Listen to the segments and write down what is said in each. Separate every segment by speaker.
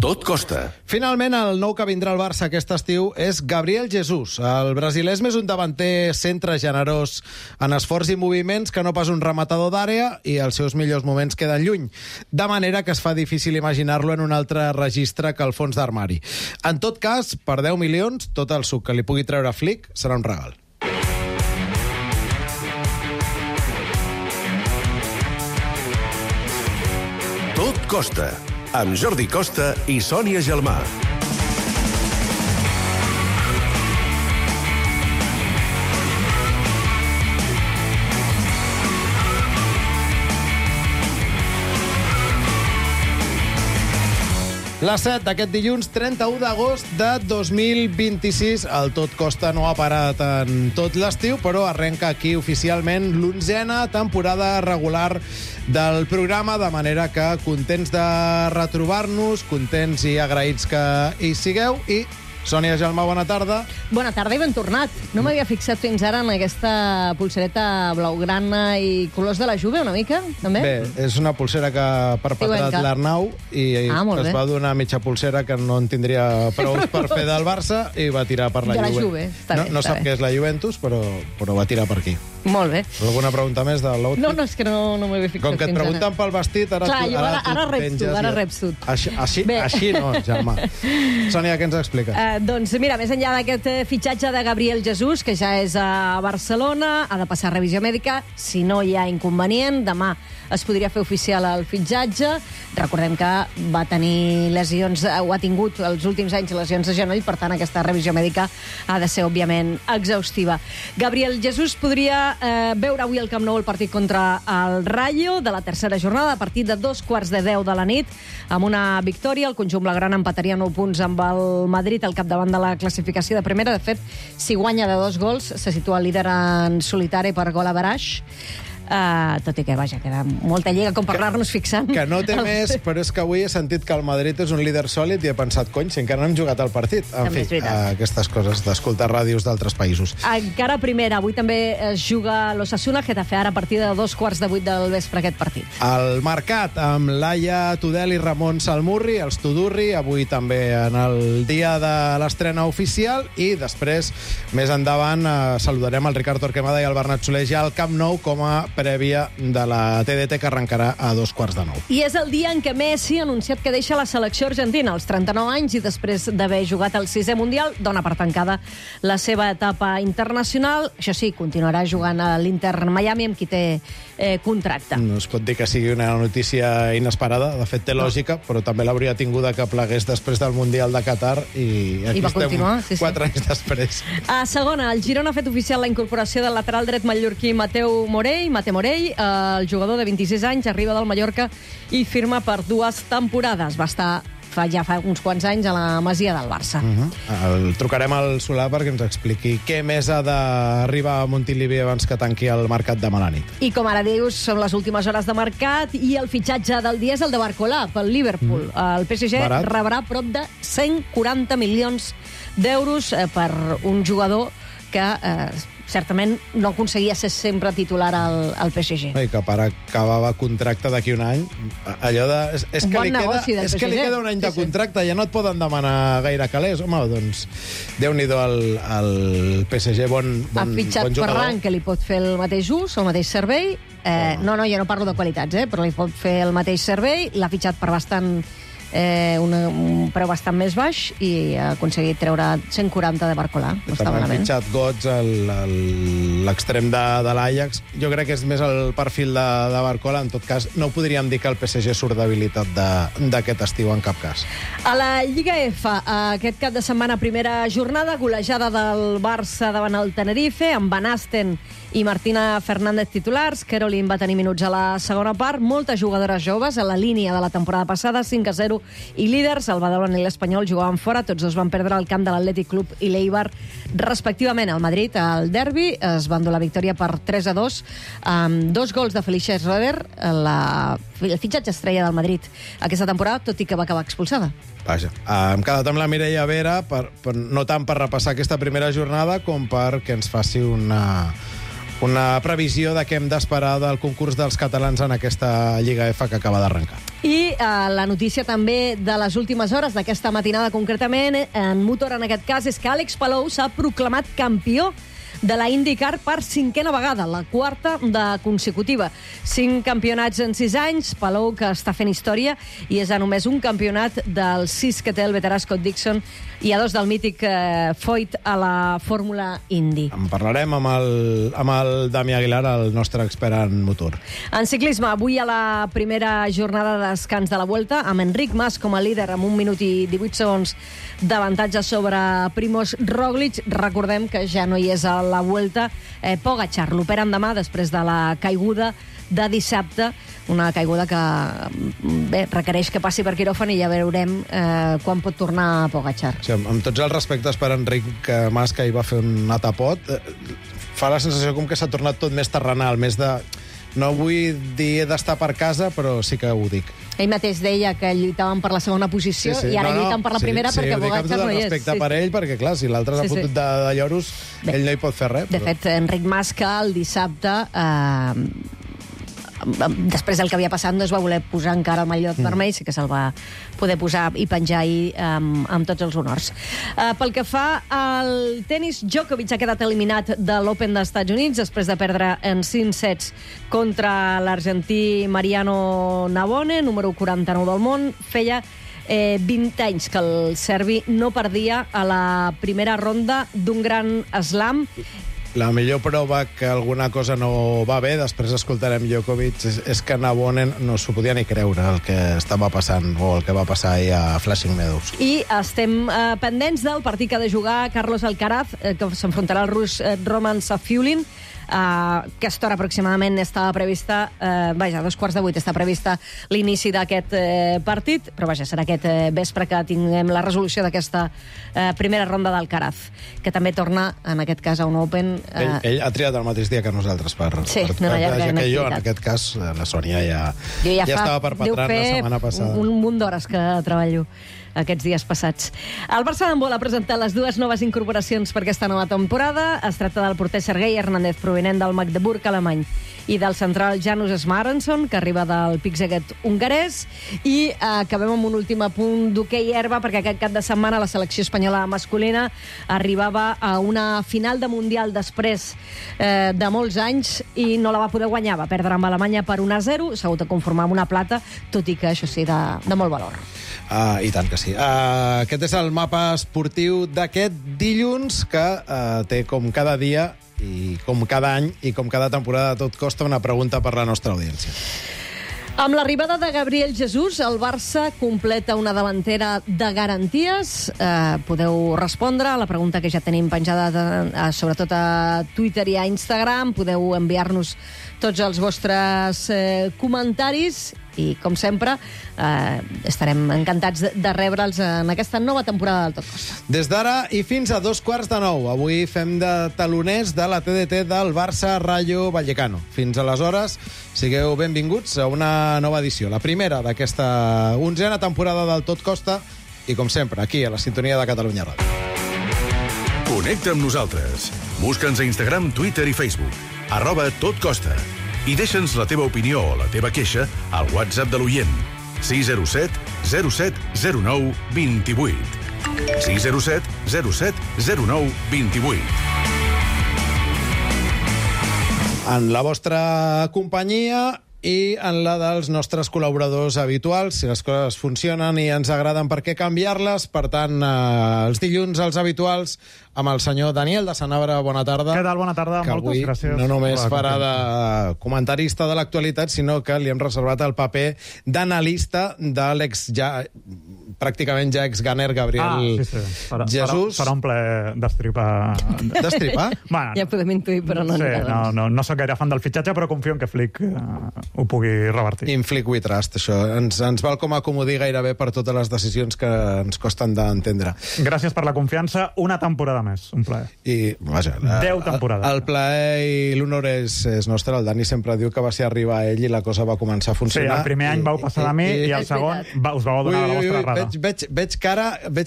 Speaker 1: Tot costa.
Speaker 2: Finalment, el nou que vindrà al Barça aquest estiu és Gabriel Jesús. El brasiler és més un davanter centre generós en esforç i moviments que no pas un rematador d'àrea, i els seus millors moments queden lluny. De manera que es fa difícil imaginar-lo en un altre registre que el fons d'armari. En tot cas, per 10 milions, tot el suc que li pugui treure Flick serà un regal.
Speaker 1: Tot costa, amb Jordi Costa i Sònia Gelmà.
Speaker 2: La 7 d'aquest dilluns, 31 d'agost de 2026. El Tot Costa no ha parat en tot l'estiu, però arrenca aquí oficialment l'11a temporada regular del programa, de manera que contents de retrobar-nos, contents i agraïts que hi sigueu. I Sònia Gelmà, bona tarda.
Speaker 3: Bona tarda i ben tornat. No m'havia fixat fins ara en aquesta polsereta blaugrana i colors de la Juve, una mica, també?
Speaker 2: Bé, és una polsera que ha perpetrat l'Arnau i es va donar mitja polsera que no en tindria prou per fer del Barça i va tirar per la Juve. No sap què és la Juventus, però va tirar per aquí.
Speaker 3: Molt bé.
Speaker 2: Alguna pregunta més de l'outfit?
Speaker 3: No, és que no m'havia fixat fins ara.
Speaker 2: Com que et pregunten pel vestit,
Speaker 3: ara reps tu.
Speaker 2: Així no, Gelmà. Sònia, què ens expliques?
Speaker 3: Doncs mira, més enllà d'aquest fitxatge de Gabriel Jesús, que ja és a Barcelona, ha de passar revisió mèdica, si no hi ha inconvenient, demà es podria fer oficial el fitxatge. Recordem que va tenir lesions, o ha tingut els últims anys lesions de genoll, per tant aquesta revisió mèdica ha de ser, òbviament, exhaustiva. Gabriel Jesús podria veure avui al Camp Nou el partit contra el Rayo de la tercera jornada, a partir de 9:15 de la nit, amb una victòria. El conjunt blaugrana empataria 9 punts amb el Madrid al capdavant de la classificació de primera. De fet, si guanya de 2 gols, se situa líder en solitari per gol average. Tot i que, vaja, queda molta lliga com per anar-nos fixant.
Speaker 2: Que no té més, però és que avui he sentit que el Madrid és un líder sòlid i he pensat, cony, si encara no hem jugat al partit. En fi, aquestes coses d'escoltar ràdios d'altres països.
Speaker 3: Encara primera, avui també es juga l'Osasuna, Getafe, ara a partir de 7:15 del vespre aquest partit.
Speaker 2: El mercat, amb Laia Tudel i Ramon Salmurri, els Tudurri, avui també en el dia de l'estrena oficial, i després, més endavant, saludarem el Ricard Torquemada i el Bernat Soler ja al Camp Nou com a prèvia de la TDT, que arrencarà a 9:15.
Speaker 3: I és el dia en què Messi ha anunciat que deixa la selecció argentina als 39 anys i després d'haver jugat el 6è Mundial, dona per tancada la seva etapa internacional. Això sí, continuarà jugant a l'Inter Miami, amb qui té contracte.
Speaker 2: No es pot dir que sigui una notícia inesperada, de fet té lògica, però també l'hauria tinguda que plegués després del Mundial de Qatar i aquí estem 4 anys després.
Speaker 3: A segona, el Girona ha fet oficial la incorporació del lateral dret mallorquí Mateu Morell, el jugador de 26 anys, arriba del Mallorca i firma per 2 temporades. Va estar ja fa uns quants anys a la Masia del Barça.
Speaker 2: El trucarem al Solà perquè ens expliqui què més ha d'arribar a Montilivi abans que tanqui el mercat de mala nit.
Speaker 3: I com ara dius, són les últimes hores de mercat i el fitxatge del dia és el de Barcola pel Liverpool. El PSG rebrà prop de 140 milions d'euros per un jugador que certament no aconseguia ser sempre titular al PSG.
Speaker 2: I que per acabava contracte d'aquí un any. Allò de... És que li queda un any de contracte, ja no et poden demanar gaire calés. Home, doncs, Déu-n'hi-do al PSG, bon jugador.
Speaker 3: Ha fitxat Ferran, que li pot fer el mateix ús, el mateix servei. No, jo no parlo de qualitats, però li pot fer el mateix servei. L'ha fitxat per un preu bastant més baix i ha aconseguit treure 140 de Barcola.
Speaker 2: També han fitxat Götze, l'extrem de l'Ajax. Jo crec que és més el perfil de Barcola. En tot cas, no podríem dir que el PSG surt debilitat d'aquest estiu en cap cas.
Speaker 3: A la Lliga F, aquest cap de setmana, primera jornada, golejada del Barça davant el Tenerife, amb Van Asten i Martina Fernández titulars. Caroline va tenir minuts a la segona part. Moltes jugadores joves a la línia de la temporada passada, 5-0 i líders. El Badalona i l'Espanyol jugaven fora, tots dos van perdre el camp de l'Atlètic Club i l'Eibar respectivament. El Madrid, al derbi, es va endur la victòria per 3-2 amb 2 gols de Felicia Schroeder, el fitxatge estrella del Madrid aquesta temporada, tot i que va acabar expulsada.
Speaker 2: Vaja, hem quedat amb la Mireia Vera no tant per repassar aquesta primera jornada com perquè ens faci una previsió de què hem d'esperar del concurs dels catalans en aquesta Lliga F que acaba d'arrencar.
Speaker 3: I la notícia també de les últimes hores d'aquesta matinada concretament, en motor en aquest cas, és que Àlex Palou s'ha proclamat campió de la IndyCar per 5a vegada, la 4a de consecutiva. 5 campionats en 6 anys, Palou que està fent història i és a només un campionat dels 6 que té el veterà Scott Dixon i a 2 del mític Foyt a la Fórmula Indy.
Speaker 2: En parlarem amb el Dami Aguilar, el nostre expert en motor.
Speaker 3: En ciclisme, avui a la primera jornada de descans de la Vuelta, amb Enric Mas com a líder amb 1 minut i 18 segons d'avantatge sobre Primož Roglič. Recordem que ja no hi és a la Vuelta Pogačar. L'operen demà després de la caiguda de dissabte, una caiguda que requereix que passi per quiròfan i ja veurem quan pot tornar Pogačar.
Speaker 2: Sí, amb tots els respectes per Enric Mas, que hi va fer un atapot, fa la sensació com que s'ha tornat tot més terrenal, més de... No vull dir d'estar per casa, però sí que ho dic.
Speaker 3: Ell mateix deia que lluitaven per la segona posició i ara lluiten per la primera perquè Pogačar no hi és.
Speaker 2: Sí, ho dic amb tot el respecte per ell, perquè clar, si l'altre s'ha fotut de lloros, ell no hi pot fer res.
Speaker 3: De fet, Enric Mas, que el dissabte... després del que havia passat no es va voler posar encara el mallot vermell, sí que se'l va poder posar i penjar ahir amb tots els honors. Pel que fa al tenis, Djokovic ha quedat eliminat de l'Open dels Estats Units després de perdre en 5 sets contra l'argentí Mariano Navone, número 49 del món. Feia 20 anys que el serbi no perdia a la primera ronda d'un gran slam.
Speaker 2: La millor prova que alguna cosa no va bé, després escoltarem Djokovic, és que Navone no s'ho podia ni creure el que estava passant o el que va passar ahir a Flushing Meadows.
Speaker 3: I estem pendents del partit que ha de jugar Carlos Alcaraz, que s'enfrontarà al rus Roman Safiullin. Aquesta hora aproximadament estava prevista, a 7:15 està prevista l'inici d'aquest partit, però serà aquest vespre que tinguem la resolució d'aquesta primera ronda d'Alcaraz, que també torna, en aquest cas, a un Open.
Speaker 2: Ell ha triat el mateix dia que nosaltres per
Speaker 3: una llarga
Speaker 2: que jo, en aquest cas, la Sònia ja estava perpetrant la setmana passada.
Speaker 3: Un munt d'hores que treballo aquests dies passats. El Barça d'handbol ha presentat les 2 noves incorporacions per aquesta nova temporada. Es tracta del porter Sergei Hernández, provinent del Magdeburg alemany, i del central Janus Smarenson, que arriba del Pickseget hongarès. I acabem amb un últim apunt d'hoquei herba, perquè aquest cap de setmana la selecció espanyola masculina arribava a una final de Mundial després de molts anys i no la va poder guanyar. Va perdre amb Alemanya per 1-0, s'ha hagut de conformar amb una plata, tot i que això sí, de molt valor.
Speaker 2: I tant que sí. Aquest és el mapa esportiu d'aquest dilluns, que té com cada dia i com cada any i com cada temporada a tot costa una pregunta per la nostra audiència.
Speaker 3: Amb l'arribada de Gabriel Jesús, el Barça completa una davantera de garanties. Podeu respondre a la pregunta que ja tenim penjada sobretot a Twitter i a Instagram. Podeu enviar-nos tots els vostres comentaris i, com sempre, estarem encantats de rebre'ls en aquesta nova temporada del Tot Costa.
Speaker 2: Des d'ara i fins a 8:45. Avui fem de taloners de la TDT del Barça Rayo Vallecano. Fins aleshores, sigueu benvinguts a una nova edició, la primera d'aquesta 11a temporada del Tot Costa i, com sempre, aquí a la sintonia de Catalunya Ràdio.
Speaker 1: Connecta amb nosaltres. Busca'ns a Instagram, Twitter i Facebook. @totcosta. I deixa'ns la teva opinió o la teva queixa al WhatsApp de l'oient. 607 07 09 28. 607 07 09 28.
Speaker 2: En la vostra companyia i en la dels nostres col·laboradors habituals. Si les coses funcionen i ens agraden, per què canviar-les? Per tant, els dilluns, els habituals, amb el senyor Daniel de Sanabra. Bona tarda.
Speaker 4: Què tal? Bona tarda.
Speaker 2: Que
Speaker 4: moltes gràcies.
Speaker 2: No només farà de comentarista de l'actualitat, sinó que li hem reservat el paper d'analista de l'ex pràcticament ja ex-gunner Gabriel Jesús.
Speaker 4: Farà un ple d'estripar.
Speaker 2: D'estripar?
Speaker 4: Bueno,
Speaker 3: ja podem intuir, però no anirà.
Speaker 4: No soc gaire fan del fitxatge, però confio en que Flick ho pugui revertir.
Speaker 2: In Flick we trust, això. Ens val com a comodí gairebé per totes les decisions que ens costen d'entendre.
Speaker 4: Gràcies per la confiança. Una temporada més, un plaer.
Speaker 2: I, vaja,
Speaker 4: 10 temporades.
Speaker 2: El plaer i l'honor és nostre. El Dani sempre diu que va ser arribar a ell i la cosa va començar a funcionar.
Speaker 4: Sí, el primer any vau passar de mi i el segon us vau donar la vostra rada.
Speaker 2: Veig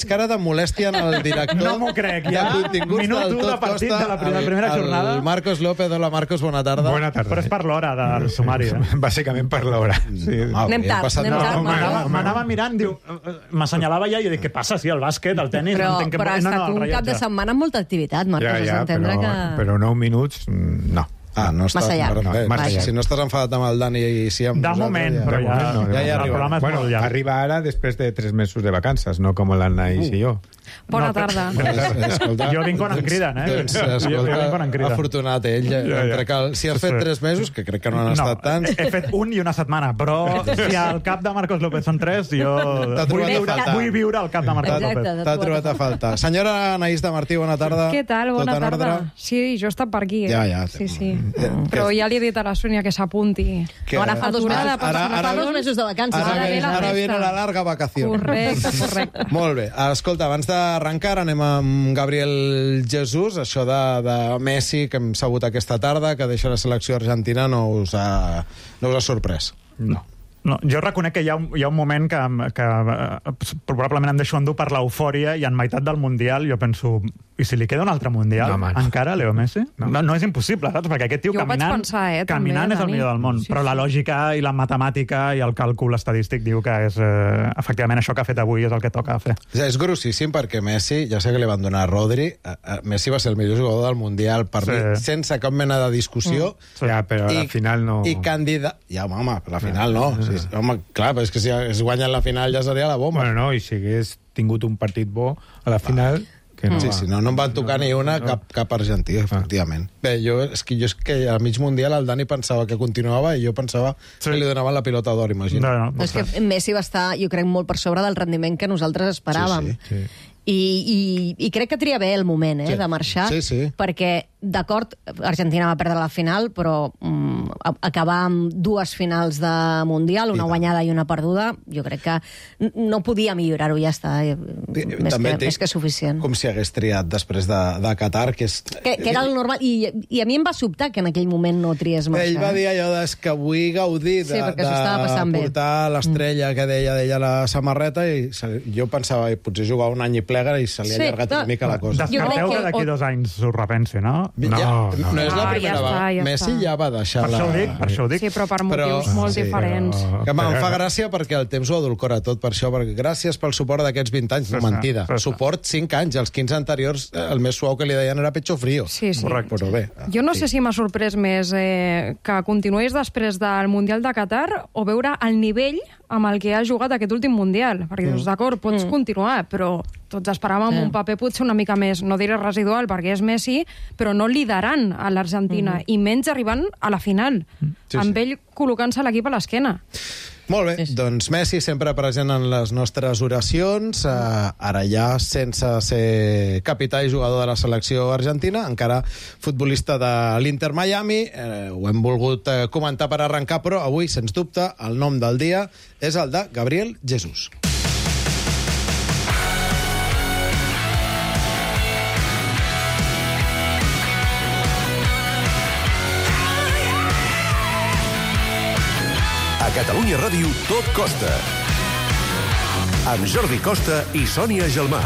Speaker 2: cara de molèstia en el director.
Speaker 4: No m'ho crec, ja.
Speaker 2: De continguts
Speaker 4: Minut
Speaker 2: del
Speaker 4: 1
Speaker 2: Tot
Speaker 4: de partit
Speaker 2: Costa,
Speaker 4: de la primera jornada.
Speaker 2: El Marcos López. Hola, Marcos, bona tarda.
Speaker 5: Bona tarda.
Speaker 4: Però és per l'hora del sumari.
Speaker 5: Bàsicament per l'hora. Sí.
Speaker 3: Anem tard,
Speaker 4: M'anava mirant, diu, m'assenyalava ja i dic, què passa? Sí, el bàsquet, el tenis...
Speaker 3: Però
Speaker 4: entenc que...
Speaker 3: ha estat un cap de setmana amb molta activitat, Marcos, has d'entendre que...
Speaker 5: Però 9 minuts, no.
Speaker 2: No està,
Speaker 3: massa llarg.
Speaker 5: Massa llarg.
Speaker 2: Si no estàs enfadat amb el Dani i si amb
Speaker 4: De
Speaker 2: nosaltres...
Speaker 4: moment, però
Speaker 2: ja
Speaker 4: el
Speaker 2: arriba.
Speaker 4: programa és molt llarg.
Speaker 5: Arriba ara després de 3 mesos de vacances, no com l'Anaïs i jo.
Speaker 6: Bona tarda.
Speaker 2: Escolta,
Speaker 4: Jo vinc quan em criden,
Speaker 2: doncs,
Speaker 4: Jo vinc quan em criden.
Speaker 2: afortunat ell. Crec que si has fet 3 mesos, que crec que no han estat tants...
Speaker 4: He fet un i una setmana, però si al cap de Marcos López són 3, jo vull viure al cap de Marcos López.
Speaker 2: T'ha trobat a faltar. Senyora Anaïs de Martí, bona tarda.
Speaker 6: Què tal? Bona
Speaker 2: Tot en
Speaker 6: tarda.
Speaker 2: ordre?
Speaker 6: Sí, jo he estat per aquí.
Speaker 2: Ja.
Speaker 6: Sí. Però ja li he dit a la Sònia que s'apunti.
Speaker 2: Que-
Speaker 3: Ara fa 2 mesos,
Speaker 6: Ara-
Speaker 3: fa 2 mesos de vacances.
Speaker 2: Ara viene la larga vacació.
Speaker 6: Correcte.
Speaker 2: Molt bé. Escolta, abans d'arrencar anem amb Gabriel Jesús. Això de Messi, que hem sabut aquesta tarda, que deixa la selecció argentina, no us ha sorprès?
Speaker 4: No, jo reconec que hi ha un moment que probablement em deixo endur per l'eufòria i en meitat del Mundial jo penso, i si li queda un altre Mundial encara, Leo Messi? No és impossible, saps? Perquè aquest tio
Speaker 6: Jo ho vaig
Speaker 4: caminant
Speaker 6: pensar, també,
Speaker 4: és el
Speaker 6: Dani.
Speaker 4: millor del món,
Speaker 6: Sí,
Speaker 4: però la lògica i la matemàtica i el càlcul estadístic diu que és efectivament això que ha fet avui és el que toca fer.
Speaker 2: És grossíssim perquè Messi, ja sé que li van donar a Rodri, Messi va ser el millor jugador del Mundial per mi, sense cap mena de discussió.
Speaker 5: Ja, però a la final no...
Speaker 2: I candidat... Ja, home, però a la final no. Sí, home, clar, però és que si es guanya la final ja seria la bomba.
Speaker 5: Bueno, no, i si hagués tingut un partit bo a la final... Que no
Speaker 2: Sí, no em van tocar ni una, cap argentí, efectivament. Bé, jo és que a mig Mundial el Dani pensava que continuava i jo pensava que li donaven la pilota d'or, imagina.
Speaker 3: És que Messi va estar, jo crec, molt per sobre del rendiment que nosaltres esperàvem.
Speaker 2: Sí.
Speaker 3: I crec que tria bé el moment de marxar, perquè, d'acord, Argentina va perdre la final, però acabar amb 2 finals de Mundial, una guanyada i una perduda, jo crec que no podia millorar-ho, ja està, més que suficient.
Speaker 2: Com si hagués triat després de Qatar, que és...
Speaker 3: Que era el normal, i a mi em va sobtar que en aquell moment no triés marxar.
Speaker 2: Ell va dir allò que vull gaudir de portar l'estrella que deia la samarreta, i jo pensava, potser jugar un any i plega i se li ha allargat una mica la cosa.
Speaker 4: Descarteu que d'aquí 2 anys s'ho repensi, no?
Speaker 2: No és la primera vegada. Messi ja va deixar la...
Speaker 4: Per això ho dic.
Speaker 6: Sí, però per motius molt diferents.
Speaker 2: Em fa gràcia perquè el temps ho adulcora tot per això, perquè gràcies pel suport d'aquests 20 anys, no mentida. Suport 5 anys, els 15 anteriors, el més suau que li deien era pecho frío.
Speaker 6: Sí.
Speaker 2: Correcte, però bé.
Speaker 6: Jo no sé si m'ha sorprès més que continués després del Mundial de Qatar o veure el nivell amb el que ha jugat aquest últim Mundial. Perquè dius, d'acord, pots continuar, però tots esperàvem un paper potser una mica més, no diré residual, perquè és Messi, però no liderant a l'Argentina, i menys arribant a la final, amb ell col·locant-se l'equip a l'esquena.
Speaker 2: Molt bé, doncs Messi sempre present en les nostres oracions, ara ja sense ser capità i jugador de la selecció argentina, encara futbolista de l'Inter Miami, ho hem volgut comentar per arrencar, però avui, sens dubte, el nom del dia és el de Gabriel Jesús.
Speaker 1: A Catalunya Ràdio, Tot Costa. Amb Jordi Costa i Sònia Gelmà.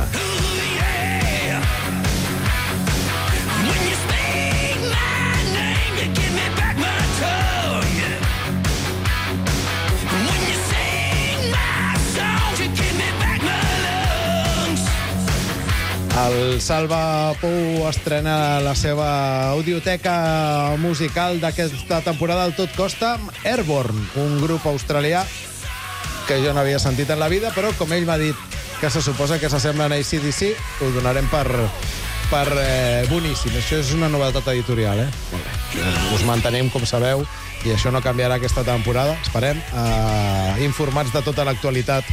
Speaker 2: El Salva Pou estrena la seva audioteca musical d'aquesta temporada al Tot Costa amb Airborne, un grup australià que jo no havia sentit en la vida, però com ell m'ha dit que se suposa que s'assemblen a AC/DC, ho donarem per boníssim. Això és una novetat editorial, Us mantenim, com sabeu, i això no canviarà aquesta temporada. Esperem, informats de tota l'actualitat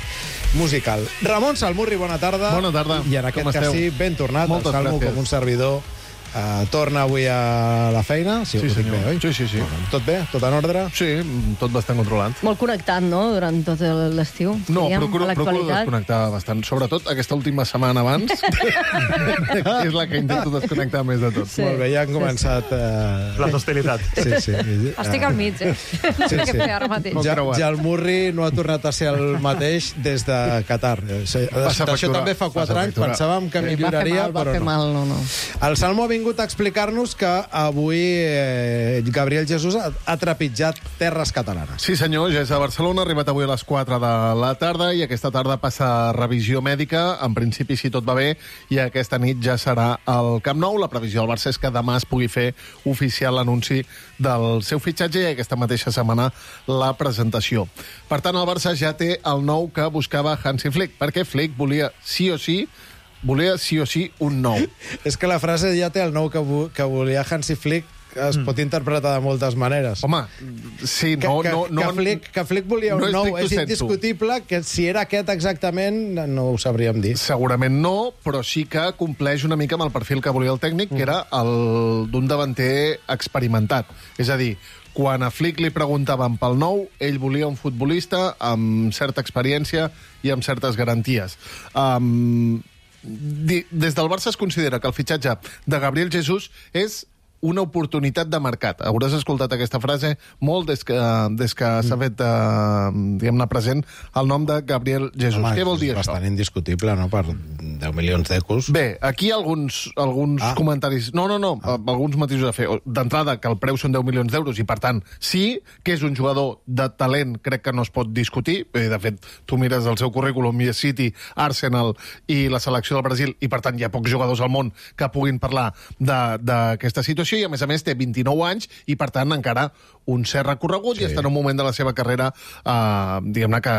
Speaker 2: musical. Ramon Salmurri, bona tarda.
Speaker 7: Bona tarda.
Speaker 2: I en aquest cas sí, ben tornat.
Speaker 7: Moltes
Speaker 2: el Salmo
Speaker 7: gràcies.
Speaker 2: com un servidor Torna avui a la feina.
Speaker 7: Sí, senyor.
Speaker 2: Bé, oi?
Speaker 7: Sí.
Speaker 2: Tot bé? Tot en ordre?
Speaker 7: Sí, tot bastant controlat.
Speaker 3: Molt connectat, no?, durant tot l'estiu.
Speaker 7: No,
Speaker 3: diguem,
Speaker 7: procuro desconnectar bastant. Sobretot aquesta última setmana abans, que és la que intento desconnectar més de tot.
Speaker 3: Sí.
Speaker 2: Molt bé, ja han començat...
Speaker 4: Les hostilitats.
Speaker 2: Sí.
Speaker 6: Estic al mig, No sé què fer ara mateix.
Speaker 2: Ja el Murri no ha tornat a ser el mateix des de Qatar. Això també fa 4 anys. Pensàvem que milloraria,
Speaker 3: va fer mal, no.
Speaker 2: El Salmo ha vingut a explicar-nos que avui Gabriel Jesús ha trepitjat terres catalanes.
Speaker 7: Sí, senyor, ja és a Barcelona, ha arribat avui a les 4 de la tarda i aquesta tarda passa revisió mèdica, en principi si tot va bé, i aquesta nit ja serà al Camp Nou. La previsió del Barça és que demà es pugui fer oficial l'anunci del seu fitxatge i aquesta mateixa setmana la presentació. Per tant, el Barça ja té el nou que buscava Hansi Flick, perquè Flick volia sí o sí un nou.
Speaker 2: És que la frase ja té el nou que volia Hansi Flick, es pot interpretar de moltes maneres.
Speaker 7: Home, sí,
Speaker 2: que Flick volia un nou. És indiscutible que si era aquest exactament no ho sabríem dir.
Speaker 7: Segurament no, però sí que compleix una mica amb el perfil que volia el tècnic, que era el d'un davanter experimentat. És a dir, quan a Flick li preguntaven pel nou, ell volia un futbolista amb certa experiència i amb certes garanties. Des del Barça es considera que el fitxatge de Gabriel Jesús és una oportunitat de mercat. Hauràs escoltat aquesta frase molt des que s'ha fet, diguem-ne, present el nom de Gabriel Jesús.
Speaker 2: Home,
Speaker 7: què vol dir això?
Speaker 2: És bastant indiscutible, no?, per 10 milions d'euros.
Speaker 7: Bé, aquí alguns comentaris... No, alguns matisos a fer. D'entrada, que el preu són 10 milions d'euros i, per tant, sí que és un jugador de talent, crec que no es pot discutir. De fet, tu mires el seu currículum, City, Arsenal i la selecció del Brasil, i, per tant, hi ha pocs jugadors al món que puguin parlar d'aquesta situació, i a més té 29 anys i per tant encara un cert recorregut, i està en un moment de la seva carrera diguem-ne que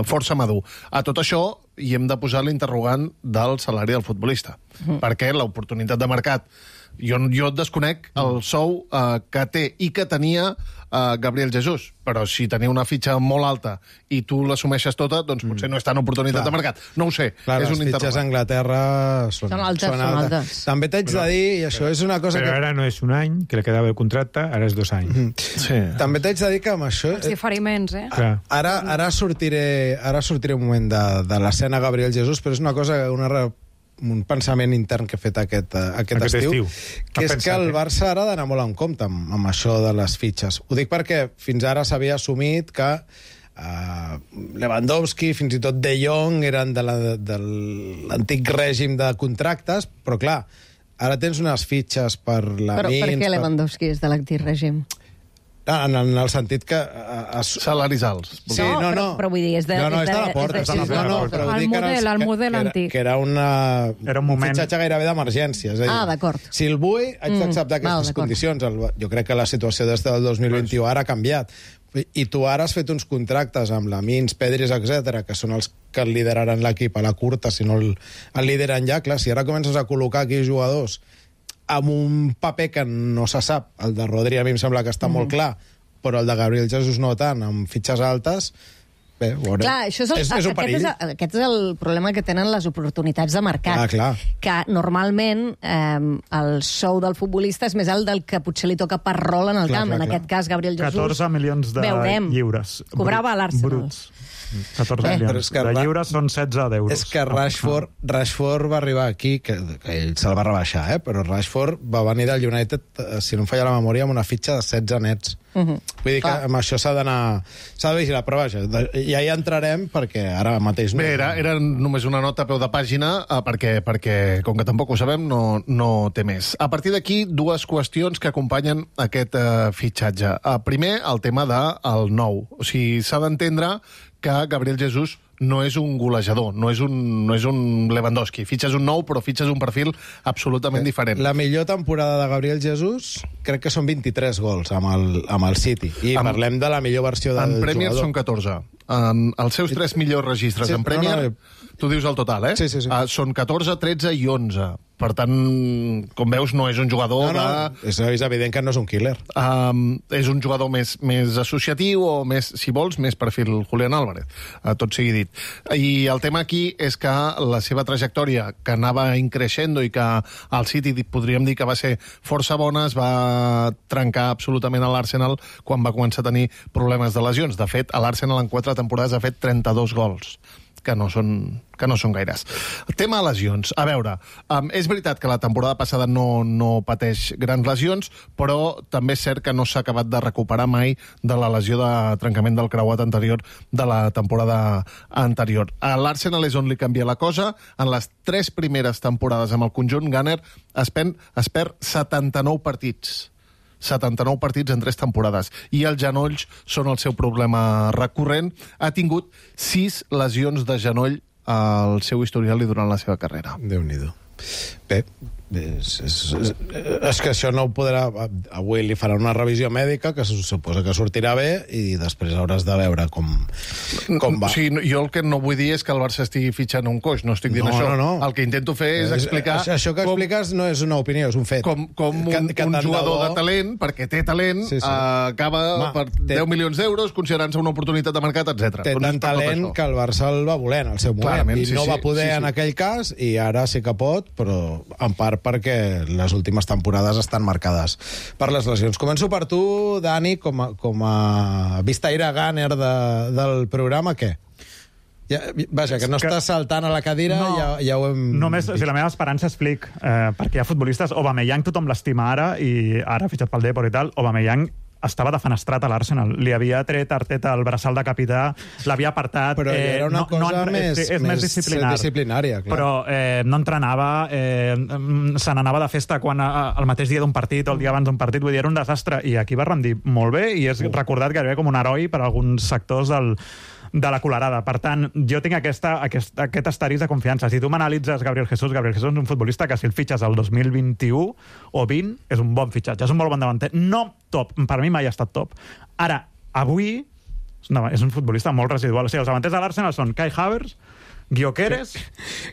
Speaker 7: força madur. A tot això hi hem de posar l'interrogant del salari del futbolista, perquè l'oportunitat de mercat, jo desconec el sou que té i que tenia Gabriel Jesús, però si tenia una fitxa molt alta i tu l'assumeixes tota, doncs potser no és tan oportunitat de mercat. No ho sé,
Speaker 2: clar,
Speaker 7: és un
Speaker 2: les fitxes a Anglaterra són altes. També t'haig de dir, i això és una cosa
Speaker 5: però ara no és un any, que li quedava el contracte, ara és 2 anys.
Speaker 2: Sí. També t'haig de dir que amb això...
Speaker 6: Els diferiments,
Speaker 2: Ara sortiré un moment de l'escena Gabriel Jesús, però és una cosa, un pensament intern que he fet aquest estiu, que és que el Barça ara ha d'anar molt en compte amb això de les fitxes. Ho dic perquè fins ara s'havia assumit que Lewandowski, fins i tot De Jong, eren de l'antic règim de contractes, però clar, ara tens unes fitxes per la Mins...
Speaker 3: Però per què Lewandowski és de l'antic règim?
Speaker 2: En el sentit que...
Speaker 7: Salaris alts.
Speaker 2: Sí, no.
Speaker 3: Però vull dir, és de...
Speaker 2: No, està a la porta.
Speaker 6: El model antic.
Speaker 2: Que era un fitxatge gairebé d'emergència.
Speaker 3: D'acord.
Speaker 2: Si el vull, haig d'acceptar aquestes condicions. Jo crec que la situació des del 2021 ara ha canviat. I tu ara has fet uns contractes amb la Mins, Pedris, etc, que són els que lideraran l'equip a la curta, si no el lideren ja. Clar, si ara comences a col·locar aquí jugadors amb un paper que no se sap, el de Rodri a mi em sembla que està molt clar, però el de Gabriel Jesús no tant, amb fitxes altes, bé, veurem.
Speaker 3: Clar, és un perill. Aquest és el problema que tenen les oportunitats de mercat.
Speaker 2: Clar.
Speaker 3: Que normalment el sou del futbolista és més alt del que potser li toca per rol en el camp. En aquest cas, Gabriel Jesús...
Speaker 4: 14 milions de lliures.
Speaker 3: Cobrava a l'Arsenal.
Speaker 4: Bruts. 14 milions. De lliures són 16 d'euros.
Speaker 2: És que Rashford va arribar aquí, que ell se'l va rebaixar, però Rashford va venir del United, si no em falla la memòria, amb una fitxa de 16 nets. Vull dir que amb això s'ha de vigilar, però vaja, ja hi entrarem, perquè ara mateix...
Speaker 7: Bé, era només una nota a peu de pàgina, perquè com que tampoc ho sabem, no té més. A partir d'aquí, 2 qüestions que acompanyen aquest fitxatge. Primer, el tema del nou. O sigui, s'ha d'entendre que Gabriel Jesús no és un golejador, no és un Lewandowski. Fitxes un nou, però fitxes un perfil absolutament diferent.
Speaker 2: La millor temporada de Gabriel Jesús crec que són 23 gols amb el City. I parlem de la millor versió del jugador.
Speaker 7: En Premier són 14. Els seus 3 millors registres en Premier, tu dius el total,
Speaker 2: Sí.
Speaker 7: Són 14, 13 i 11. Per tant, com veus, no és un jugador
Speaker 2: és evident que no és un killer.
Speaker 7: És un jugador més associatiu o més, si vols, més perfil Julián Álvarez, tot sigui dit. I el tema aquí és que la seva trajectòria, que anava increixendo i que al City podríem dir que va ser força bona, es va trencar absolutament a l'Arsenal quan va començar a tenir problemes de lesions. De fet, a l'Arsenal en 4 temporades ha fet 32 gols, que no són gaires. Tema lesions. A veure, és veritat que la temporada passada no pateix grans lesions, però també és cert que no s'ha acabat de recuperar mai de la lesió de trencament del creuat anterior de la temporada anterior. A l'Arsenal és on li canvia la cosa. En les 3 primeres temporades amb el conjunt, Gunner es perd 79 partits. 79 partits en 3 temporades. I els genolls són el seu problema recurrent. Ha tingut 6 lesions de genoll al seu historial i durant la seva carrera.
Speaker 2: Déu-n'hi-do. Bé, és que això no ho podrà... Avui li faran una revisió mèdica que se suposa que sortirà bé i després hauràs de veure com va.
Speaker 7: O sigui, jo el que no vull dir és que el Barça estigui fitxant un coix, no estic dient això.
Speaker 2: No.
Speaker 7: El que intento fer és explicar...
Speaker 2: Això que expliques no és una opinió, és un fet.
Speaker 7: Com un jugador de talent, perquè té talent, acaba per 10 milions d'euros, considerant-se una oportunitat de mercat, etc.
Speaker 2: Té tant talent que el Barça el va voler en el seu moment. I no va poder en aquell cas, i ara sí que pot, però en part perquè les últimes temporades estan marcades per les lesions. Començo per tu, Dani, com a vistaire Gunner del programa, què? Vaja, que no estàs saltant a la cadira, ja ho hem...
Speaker 4: Només, la meva esperança és Flick, perquè hi ha futbolistes, Aubameyang tothom l'estima ara, i ara fitxat pel Depor i tal, Aubameyang estava defenestrat a l'Arsenal. Li havia tret Arteta el braçal de capità, l'havia apartat...
Speaker 2: Però era una cosa més disciplinària, clar.
Speaker 4: Però no entrenava, se n'anava de festa el mateix dia d'un partit o el dia abans d'un partit, vull dir, era un desastre. I aquí va rendir molt bé i és recordat gairebé com un heroi per alguns sectors de la colerada. Per tant, jo tinc aquest asterisc de confiança. Si tu m'analitzes Gabriel Jesús és un futbolista que si el fitxes el 2021 o 20 és un bon fitxatge, és un molt bon davanter. No top, per mi mai ha estat top. Ara, avui és un futbolista molt residual. O sigui, els davanters de l'Arsenal són Kai Havertz, Gyökeres,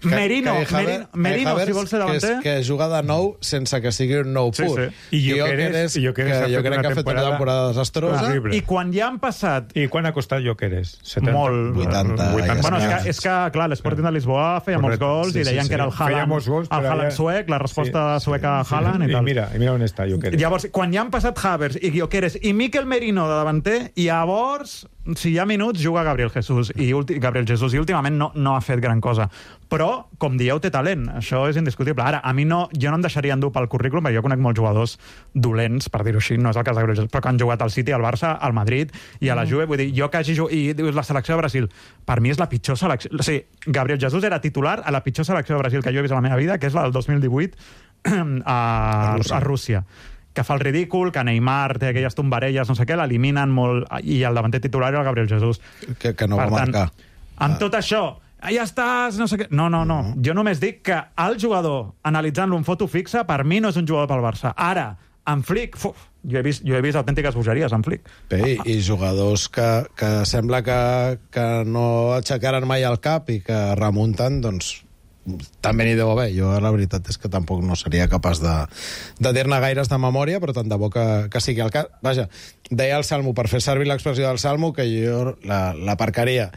Speaker 4: Merino, si vols ser davanter.
Speaker 2: Que juga de nou sense que sigui un nou pur.
Speaker 5: I Gyökeres
Speaker 2: jo crec que ha fet una temporada desastrosa.
Speaker 4: I quan ja han passat...
Speaker 5: I quan ha costat Gyökeres? 70?
Speaker 2: Molt. 80.
Speaker 4: Bueno, és que, clar, l'Sporting de Lisboa feia molts gols i deien que era el Haaland suec, la resposta sueca a Haaland i tal.
Speaker 5: I mira on està Gyökeres.
Speaker 4: Llavors, quan ja han passat Havertz i Gyökeres i Mikel Merino de davanter, llavors, si hi ha minuts, juga Gabriel Jesús. I últimament no ha fet gran cosa. Però, com dieu, té talent. Això és indiscutible. Ara, a mi jo no em deixaria endur pel currículum, perquè jo conec molts jugadors dolents, per dir-ho així, no és el cas de Gabriel Jesús, però que han jugat al City, al Barça, al Madrid i a la Juve. Vull dir, jo que hagi jugat... I dius, la selecció de Brasil, per mi és la pitjor selecció... O sigui, Gabriel Jesús era titular a la pitjor selecció de Brasil que jo he vist a la meva vida, que és la del 2018 a Rússia, que fa el ridícul, que Neymar té aquelles tombarelles, no sé què, l'eliminen molt, i el davanter titular era el Gabriel Jesús.
Speaker 2: Que no va marcar.
Speaker 4: Amb tot això, ja estàs, no sé què... No. Jo només dic que el jugador, analitzant-lo en foto fixa, per mi no és un jugador pel Barça. Ara, en Flick, jo he vist autèntiques bogeries en Flick.
Speaker 2: Bé, i jugadors que sembla que no aixecaran mai el cap i que remunten, doncs també n'hi deu haver. Jo la veritat és que tampoc no seria capaç de dir-ne gaires de memòria, però tant de bo que sigui el cas. Vaja, deia el Salmo, per fer servir l'expressió del Salmo, que jo l'aparcaria.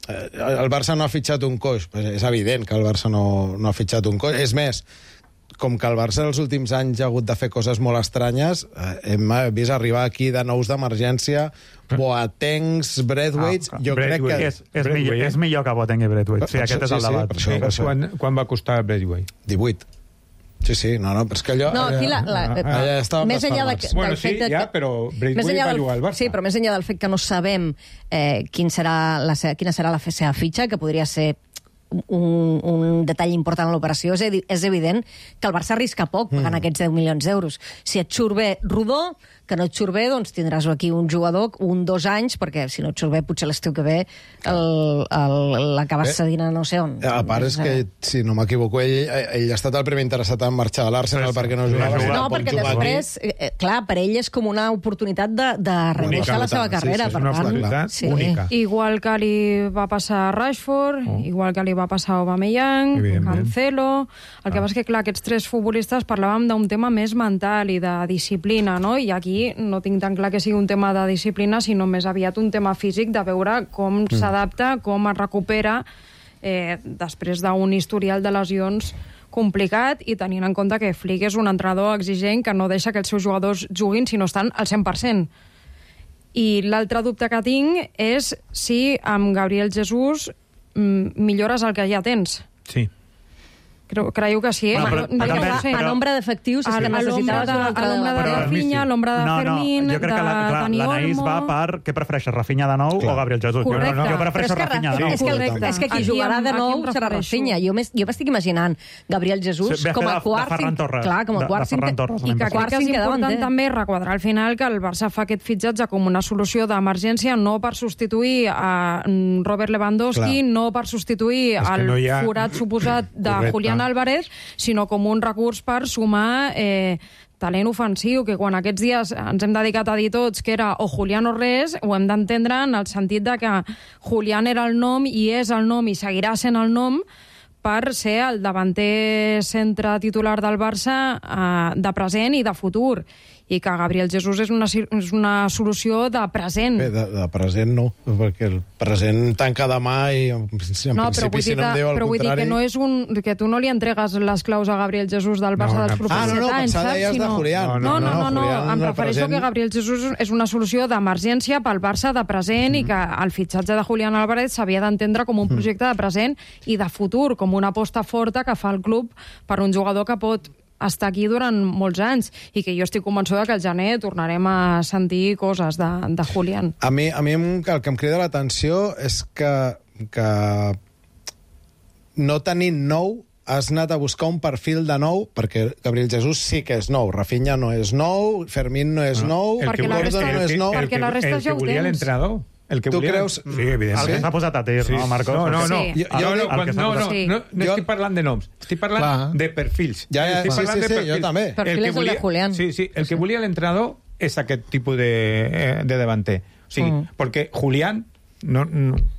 Speaker 2: El Barça no ha fitxat un coix. És evident que el Barça no ha fitxat un coix. És més, com que el Barça els últims anys ha hagut de fer coses molt estranyes, hem vist arribar aquí de nous d'emergència Boatengs, Braithwaite... Jo crec que...
Speaker 4: És millor que Boateng i Braithwaite. Sí, aquest és el debat.
Speaker 2: Per això.
Speaker 5: Quan va costar Braithwaite?
Speaker 2: 18. Sí, no, però és que allò...
Speaker 3: No, aquí més enllà del fet que...
Speaker 5: però Braithwaite va jugar al Barça.
Speaker 3: Sí, però més enllà del fet que no sabem quina serà la seva fitxa, que podria ser un detall important en l'operació, és evident que el Barça arrisca poc pagant aquests 10 milions d'euros. Si et surt bé Rodó, que no et surt bé, doncs tindràs aquí un jugador 2 anys, perquè si no et surt bé, potser l'estiu que ve l'acabes cedint a no sé on.
Speaker 2: A part és que, si no m'equivoco, ell ha estat el primer interessat en marxar de l'Arsenal perquè no jugava.
Speaker 3: No, perquè després, clar, per ell és com una oportunitat de reiniciar la seva carrera.
Speaker 5: És una oportunitat única.
Speaker 6: Igual que li va passar a Rashford, igual que li va va passar a Aubameyang, Cancelo... El que passa és que, clar, aquests 3 futbolistes parlàvem d'un tema més mental i de disciplina, no? I aquí no tinc tan clar que sigui un tema de disciplina, sinó més aviat un tema físic, de veure com s'adapta, com es recupera després d'un historial de lesions complicat, i tenint en compte que Flick és un entrenador exigent que no deixa que els seus jugadors juguin si no estan al 100%. I l'altre dubte que tinc és si amb Gabriel Jesús millores el que ja tens.
Speaker 5: Sí.
Speaker 6: Creieu que sí,
Speaker 3: A nombre d'efectius és que necessitaves un altre...
Speaker 6: A l'ombra de Rafinha, a l'ombra de Fermín,
Speaker 4: jo crec que l'Anaís va per què prefereixes, Rafinha de nou o Gabriel Jesús? Jo prefereixo Rafinha de nou.
Speaker 3: És que qui jugarà de nou serà Rafinha. Jo m'estic imaginant Gabriel Jesús com a quart... Clar, com a quart cinquè.
Speaker 6: I que crec que és important també requadrar al final que el Barça fa aquest fitxatge com una solució d'emergència, no per substituir a Robert Lewandowski, no per substituir el forat suposat de Julián Álvarez, sinó com un recurs per sumar talent ofensiu, que quan aquests dies ens hem dedicat a dir tots que era o Julián o res, ho hem d'entendre en el sentit de que Julián era el nom i és el nom i seguirà sent el nom per ser el davanter centre titular del Barça de present i de futur. I que Gabriel Jesús és una solució de present.
Speaker 2: Bé, de present no, perquè el present tanca demà i en principi si no em diu el
Speaker 6: però vull dir que no és que tu no li entregues les claus a Gabriel Jesús del Barça dels propers 7 anys,
Speaker 2: pensava deies de Julián.
Speaker 6: No, em refereixo que Gabriel Jesús és una solució d'emergència pel Barça de present i que el fitxatge de Julián Álvarez s'havia d'entendre com un projecte de present i de futur, com una aposta forta que fa el club per un jugador que pot estar aquí durant molts anys i que jo estic convençuda que al gener tornarem a sentir coses de Julián.
Speaker 2: A mi el que em crida l'atenció és que no tenint nou has anat a buscar un perfil de nou, perquè Gabriel Jesús sí que és nou, Rafinha no és nou, Fermín no és nou,
Speaker 6: Gordon
Speaker 2: no és nou.
Speaker 6: Perquè la resta ja ho tens.
Speaker 5: L'entrenador.
Speaker 2: Tu creus?
Speaker 5: Sí, evidentment.
Speaker 4: El que s'ha posat a tir, no, Marcos?
Speaker 5: No, estic parlant de noms. Estic parlant de perfils.
Speaker 2: Sí, jo també.
Speaker 3: Perfil és el de Julián.
Speaker 5: Sí, el que volia l'entrenador és aquest tipus de davanter. O sigui, perquè Julián...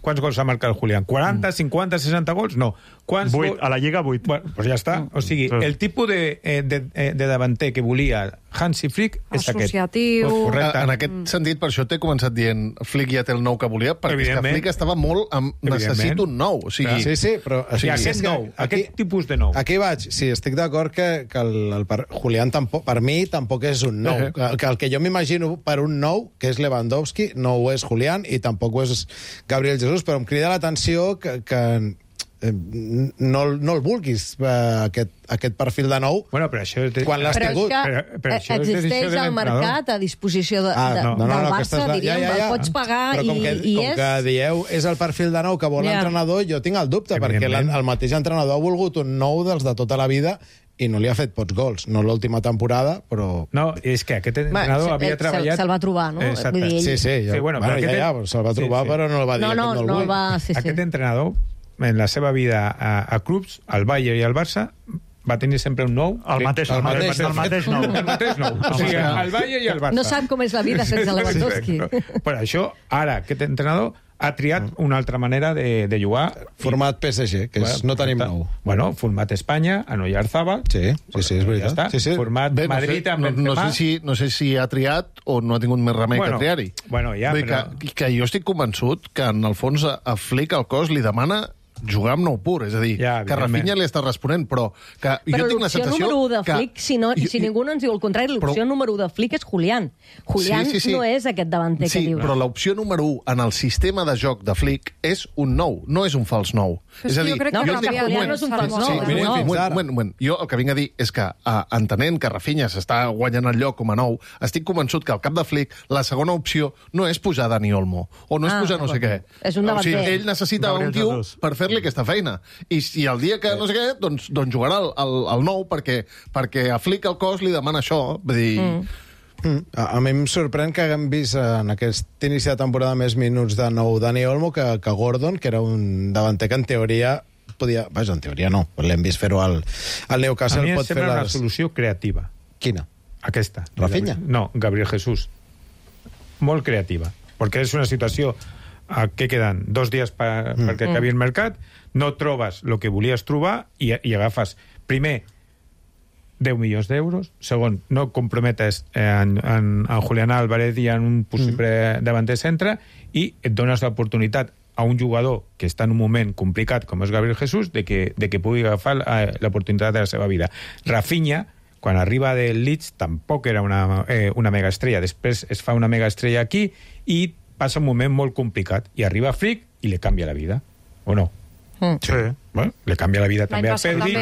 Speaker 5: ¿Cuántos gols ha marcado Julián? ¿40, 50, 60 gols? No.
Speaker 4: 8, a la Lliga 8.
Speaker 5: Bueno, pues ja està. O sigui, el tipus de davanter que volia Hansi Flick és aquest.
Speaker 6: Associatiu.
Speaker 7: Correcte. En aquest sentit, per això t'he començat dient Flick ja té el nou que volia, perquè és que Flick estava molt amb necessito un nou. O sigui,
Speaker 2: sí, però...
Speaker 5: Aquest tipus de nou.
Speaker 2: Aquí vaig. Sí, estic d'acord que el Julián per mi tampoc és un nou. Que el que jo m'imagino per un nou, que és Lewandowski, no ho és Julián i tampoc ho és Gabriel Jesús, però em crida l'atenció que no el vulguis, aquest perfil de nou, quan l'has tingut.
Speaker 3: Però és que existeix el mercat a disposició del Barça, diríem, el pots pagar i és...
Speaker 2: Com que dieu és el perfil de nou que vol l'entrenador, jo tinc el dubte, perquè el mateix entrenador ha volgut un nou dels de tota la vida i no li ha fet pocs gols. No l'última temporada, però...
Speaker 5: No, és que aquest entrenador havia treballat...
Speaker 3: Se'l va trobar, no?
Speaker 5: Exacte.
Speaker 2: Sí, se'l va trobar, però no el va dir.
Speaker 3: No el va...
Speaker 5: Aquest entrenador, en la seva vida a clubs, al Bayern i al Barça, va tenir sempre un nou.
Speaker 4: El mateix nou.
Speaker 5: O sigui, al Bayern i al Barça.
Speaker 3: No sap com és la vida sense Lewandowski.
Speaker 5: Per això, ara, aquest entrenador ha triat una altra manera de jugar.
Speaker 2: Format PSG, que no tenim nou.
Speaker 5: Bueno, format Espanya, en Oyarzábal.
Speaker 2: Sí, és veritat.
Speaker 5: Format Madrid amb Benzema.
Speaker 7: No sé si ha triat o no ha tingut més remei que triar-hi.
Speaker 5: Bueno, ja, però...
Speaker 7: Que jo estic convençut que, en el fons, a Flick el cos li demana jugar amb nou pur, és a dir, que Rafinha li està responent, però que jo tinc la sensació
Speaker 3: número 1 de Flick, si ningú no ens diu el contrari, l'opció número 1 de Flick és Julián. Julián no és aquest davanter que dius.
Speaker 7: Sí, però l'opció número 1 en el sistema de joc de Flick és un nou, no és un fals nou. És a dir,
Speaker 3: Julián no és un fals nou.
Speaker 7: Jo el que vinc a dir és que, entenent que Rafinha s'està guanyant el lloc com a nou, estic convençut que al cap de Flick la segona opció no és pujar Dani Olmo, o no és pujar no sé què.
Speaker 3: És un davanter.
Speaker 7: Ell necessita un tio per fer-li aquesta feina. I el dia que no sé què, doncs jugarà el nou, perquè a Flick el cos li demana això. Vull dir...
Speaker 2: A mi em sorprèn que haguem vist en aquest inici de temporada més minuts de nou Dani Olmo que Gordon, que era un davanter que en teoria podia... Vaja, en teoria no, l'hem vist fer-ho al Newcastle.
Speaker 5: A mi em sembla una solució creativa.
Speaker 2: Quina?
Speaker 5: Aquesta.
Speaker 2: Rafinha?
Speaker 5: No, Gabriel Jesús. Molt creativa. Perquè és una situació què queden? 2 dies perquè acabi el mercat, no trobes el que volies trobar i agafes, primer, 10 milions d'euros. Segon, no comprometes en Julián Álvarez i en un possible davanter centre, i et dones l'oportunitat a un jugador que està en un moment complicat com és Gabriel Jesús de que pugui agafar l'oportunitat de la seva vida. Rafinha, quan arriba del Leeds, tampoc era una megaestrella. Després es fa una megaestrella aquí i passa un moment molt complicat. I arriba Flick i li canvia la vida. O no?
Speaker 4: Sí.
Speaker 5: Bueno, li canvia la vida també a Pedri.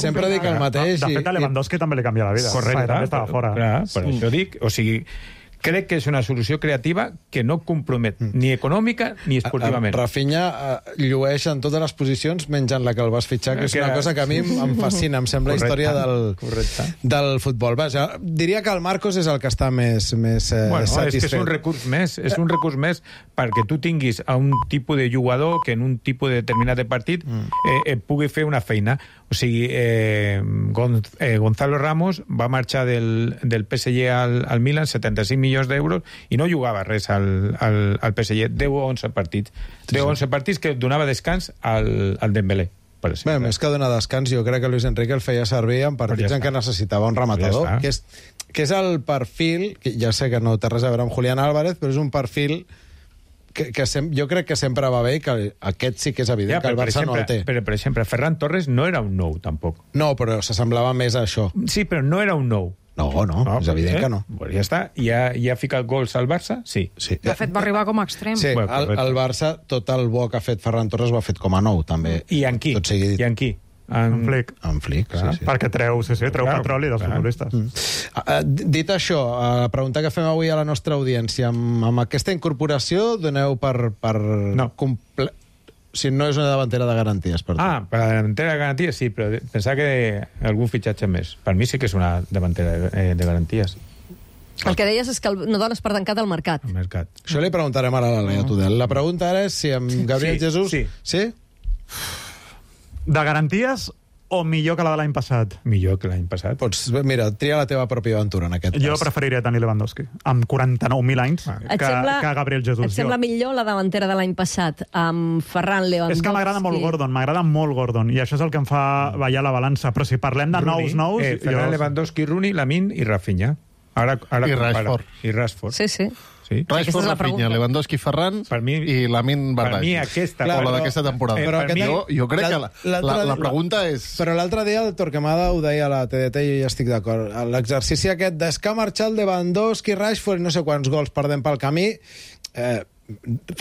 Speaker 2: Sempre dic el mateix.
Speaker 4: De fet, a Lewandowski també li canvia la vida.
Speaker 5: Correcte.
Speaker 4: També estava fora.
Speaker 5: Per això dic, o sigui, crec que és una solució creativa que no compromet ni econòmica ni esportivament.
Speaker 2: Rafinha llueix en totes les posicions menys en la que el vas fitxar, que és una cosa que a mi em fascina, em sembla història del futbol. Vaja, diria que el Marcos és el que està més satisfet.
Speaker 5: És que és un recurs més perquè tu tinguis a un tipus de jugador que en un tipus de determinat de partit pugui fer una feina. O sigui, Gonzalo Ramos va marxar del PSG al Milan, 75 milions d'euros, i no jugava res al PSG. 10 o 11 partits. 10 o 11 partits que donava descans al Dembélé.
Speaker 2: Bé, més que donar descans, jo crec que Luis Enrique el feia servir en partits en què necessitava un rematador, que és el perfil, que ja sé que no té res a veure amb Julián Álvarez, però és un perfil que jo crec que sempre va bé, que aquest sí que és evident que el Barça no el té.
Speaker 5: Però, per exemple, Ferran Torres no era un nou, tampoc.
Speaker 2: No, però s'assemblava més a això.
Speaker 5: Sí, però no era un nou.
Speaker 2: No, és evident que no.
Speaker 5: Pues ja està. Ja ha ficat gols al Barça? Sí.
Speaker 6: De fet, va arribar com a extrem.
Speaker 2: Sí, el Barça, tot el bo que ha fet Ferran Torres ho ha fet com a nou, també.
Speaker 5: I en qui? I en qui?
Speaker 4: En Flick.
Speaker 2: En Flick, sí.
Speaker 4: Perquè treu petroli dels futbolistes.
Speaker 2: Dit això, la pregunta que fem avui a la nostra audiència, amb aquesta incorporació doneu per si no és una davantera de garanties per tu.
Speaker 5: Per la davantera de garanties sí, però pensava que algun fitxatge més. Per mi sí que és una davantera de garanties.
Speaker 3: El que deies és que no dones per tancat el mercat.
Speaker 5: El mercat.
Speaker 2: Això li preguntarem ara a la Laia Tudel. La pregunta ara és si amb Gabriel Jesús... Sí?
Speaker 4: De garanties o millor que la de l'any passat?
Speaker 5: Millor que l'any passat.
Speaker 2: Pots, mira, tria la teva pròpia aventura en aquest cas.
Speaker 4: Jo preferiria tenir Lewandowski, amb 49.000 anys, que Gabriel Jesús.
Speaker 3: Et sembla millor la davantera de l'any passat, amb Ferran Lewandowski?
Speaker 4: És que m'agrada molt Gordon, i això és el que em fa ballar la balança. Però si parlem de nous...
Speaker 5: Ferran Lewandowski, Rooney, Lamine i Rafinha.
Speaker 7: I Rashford.
Speaker 5: I Rashford.
Speaker 3: Sí.
Speaker 7: Rashford, Rafinha, Lewandowski, Ferran i Lamine Bardghji.
Speaker 5: Per mi aquesta...
Speaker 7: O la d'aquesta temporada. Però jo crec que la pregunta és...
Speaker 2: Però l'altre dia el Torquemada ho deia a la TDT i jo ja estic d'acord. L'exercici aquest d'és que ha marxat Lewandowski, Rashford i no sé quants gols perdem pel camí,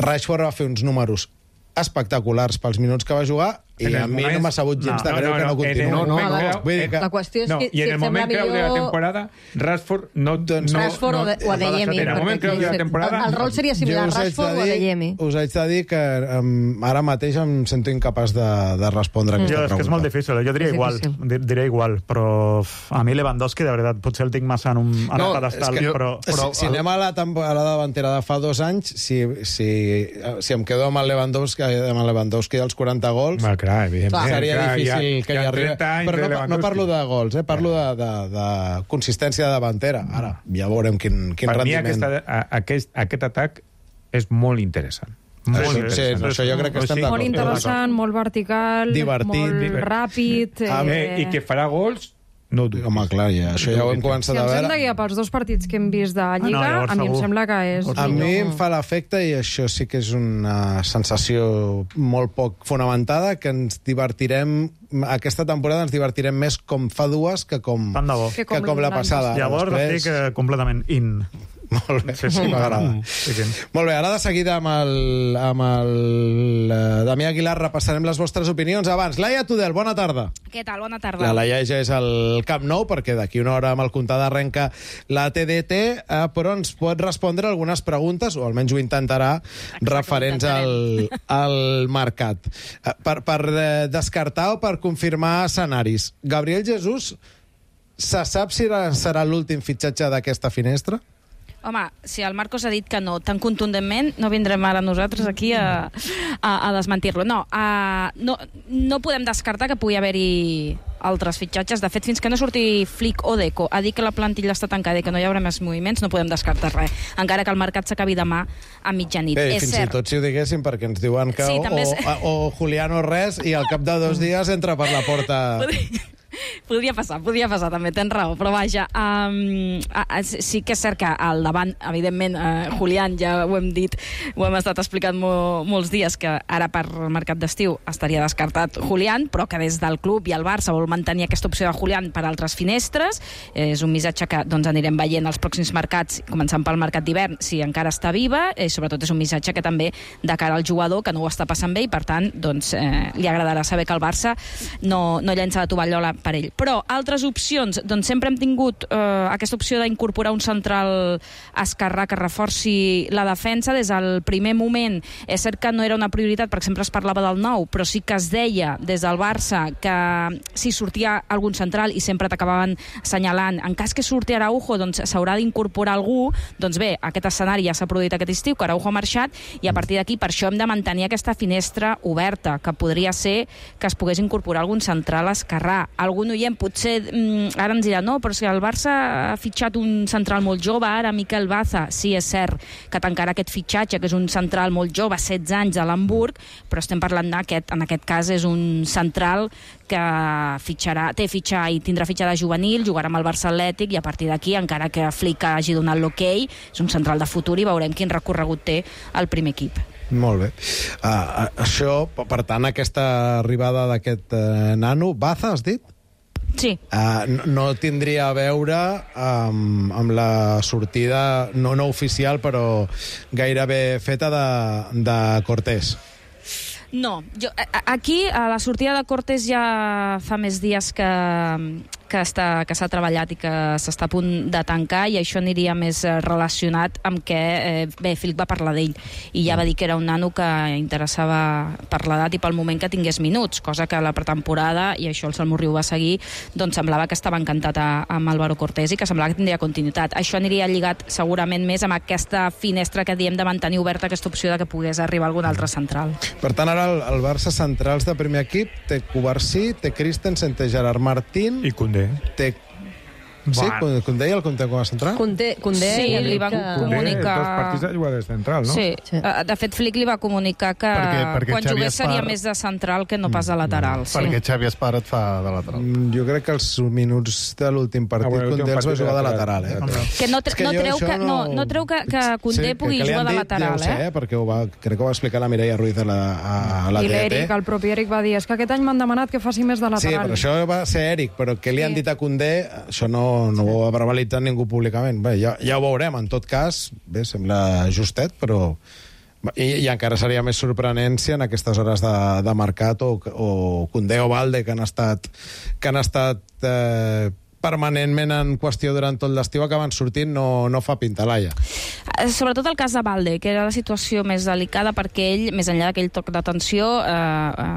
Speaker 2: Rashford va fer uns números espectaculars pels minuts que va jugar i a mi no m'ha sabut gens de greu que no continuï.
Speaker 3: La qüestió és que
Speaker 5: i en el moment clau de la temporada Rashford
Speaker 3: Rashford o Adeyemi.
Speaker 5: En el moment clau de la temporada
Speaker 3: el rol seria similar, Rashford o Adeyemi.
Speaker 2: Us haig de dir que ara mateix em sento incapaç de respondre aquesta pregunta.
Speaker 4: És que és molt difícil, jo diria igual, però a mi Lewandowski de veritat potser el tinc massa en un pedestal, però
Speaker 2: si anem a la davantera de fa 2 anys, si em quedo amb el Lewandowski dels 40 gols, seria difícil que hi arribi. Però no parlo de gols, parlo de consistència de davantera. Ara, ja veurem quin rendiment.
Speaker 5: Per mi aquest atac és molt interessant.
Speaker 2: Això jo crec que estem d'acord.
Speaker 6: Molt interessant, molt vertical, molt ràpid.
Speaker 5: I que farà gols. No,
Speaker 2: home, clar, això ja ho hem començat a veure.
Speaker 6: Si ens hem de guiar pels 2 partits que hem vist de Lliga, a mi em sembla que és...
Speaker 2: A mi em fa l'efecte, i això sí que és una sensació molt poc fonamentada, que ens divertirem, aquesta temporada ens divertirem més com fa 2 que com la passada.
Speaker 4: Llavors estic completament in.
Speaker 2: Molt bé, m'agrada. Molt bé, ara de seguida amb el Damià Aguilar repassarem les vostres opinions. Abans, Laia Tudel, bona tarda.
Speaker 8: Què tal? Bona tarda.
Speaker 2: La Laia ja és al Camp Nou, perquè d'aquí una hora amb el comptat arrenca la TDT, però ens pot respondre algunes preguntes, o almenys ho intentarà, referents al mercat. Per descartar o per confirmar escenaris, Gabriel Jesús, se sap si serà l'últim fitxatge d'aquesta finestra?
Speaker 8: Home, si el Marcos ha dit que no tan contundentment, no vindrem ara nosaltres aquí a desmentir-lo. No podem descartar que pugui haver-hi altres fitxatges. De fet, fins que no surti Flick o Deco a dir que la plantilla està tancada i que no hi haurà més moviments, no podem descartar res, encara que el mercat s'acabi demà a mitjanit.
Speaker 2: Fins i tot si ho diguéssim, perquè ens diuen que o Julián o res, i al cap de 2 dies entra per la porta...
Speaker 8: Podria passar també, tens raó, però vaja, sí que és cert que al davant, evidentment, Julián, ja ho hem dit, ho hem estat explicant molts dies, que ara per mercat d'estiu estaria descartat Julián, però que des del club i el Barça vol mantenir aquesta opció de Julián per altres finestres. És un missatge que anirem veient als pròxims mercats, començant pel mercat d'hivern, si encara està viva, i sobretot és un missatge que també de cara al jugador, que no ho està passant bé, i per tant, li agradarà saber que el Barça no llença la tovallola per ell. Però altres opcions, doncs sempre hem tingut aquesta opció d'incorporar un central esquerrà que reforci la defensa des del primer moment. És cert que no era una prioritat, per exemple es parlava del 9, però sí que es deia des del Barça que si sortia algun central, i sempre t'acabaven assenyalant, en cas que surti Araujo, doncs s'haurà d'incorporar algú. Doncs bé, aquest escenari ja s'ha produït aquest estiu, que Araujo ha marxat, i a partir d'aquí per això hem de mantenir aquesta finestra oberta, que podria ser que es pogués incorporar algun central esquerrà. Algun oient potser ara ens dirà no, però si el Barça ha fitxat un central molt jove ara, Miquel Baza. Sí, és cert que tancarà aquest fitxatge, que és un central molt jove, 16 anys, de l'Hamburg, però estem parlant en aquest cas és un central que té fitxa i tindrà fitxada juvenil, jugarà amb el Barça Atlètic, i a partir d'aquí, encara que Flick hagi donat l'okei, és un central de futur i veurem quin recorregut té el primer equip.
Speaker 2: Molt bé. Això, per tant, aquesta arribada d'aquest nano, Baza, has dit?
Speaker 8: Sí.
Speaker 2: No tindria a veure amb la sortida no oficial, però gairebé feta de Cortés.
Speaker 8: No, aquí a la sortida de Cortés ja fa més dies que s'ha treballat i que s'està a punt de tancar, i això aniria més relacionat amb que Flick va parlar d'ell i ja va dir que era un nano que interessava per l'edat i pel moment que tingués minuts, cosa que a la pretemporada, i això el Salmo Riu va seguir, doncs semblava que estava encantat amb Álvaro Cortés i que semblava que tindria continuïtat. Això aniria lligat segurament més amb aquesta finestra que diem de mantenir oberta aquesta opció de que pogués arribar algun altre central.
Speaker 2: Per tant, ara el Barça centrals de primer equip té Cubarsí, té Christensen, té Gerard Martín
Speaker 5: i Koundé.
Speaker 2: Sí, Koundé i el Koundé com a central?
Speaker 8: Koundé sí, li van comunicar...
Speaker 5: Dos partits de jugador central, no?
Speaker 8: Sí. De fet, Flick li va comunicar que quan jugués seria més de central que no pas de lateral.
Speaker 7: Perquè Xavi Espar et fa de lateral.
Speaker 2: Jo crec que els minuts de l'últim partit Koundé els va jugar de lateral.
Speaker 8: Que no treu que Koundé pugui jugar de lateral.
Speaker 2: Ja ho sé, perquè crec que ho va explicar la Mireia Ruiz a la
Speaker 6: I
Speaker 2: TDT.
Speaker 6: l'Eric, el propi Eric, va dir és que aquest any m'han demanat que faci més de lateral.
Speaker 2: Sí, però això va ser Eric, però què li han dit a Koundé, això no ho ha verbalitzat ningú públicament. Bé, ja ho veurem. En tot cas, bé, sembla justet, però... I encara seria més sorprenent si en aquestes hores de mercat o Koundé o Balde, que han estat permanentment en qüestió durant tot l'estiu, acaben sortint, no fa pintalaia.
Speaker 8: Sobretot el cas de Balde, que era la situació més delicada, perquè ell, més enllà d'aquell toc d'atenció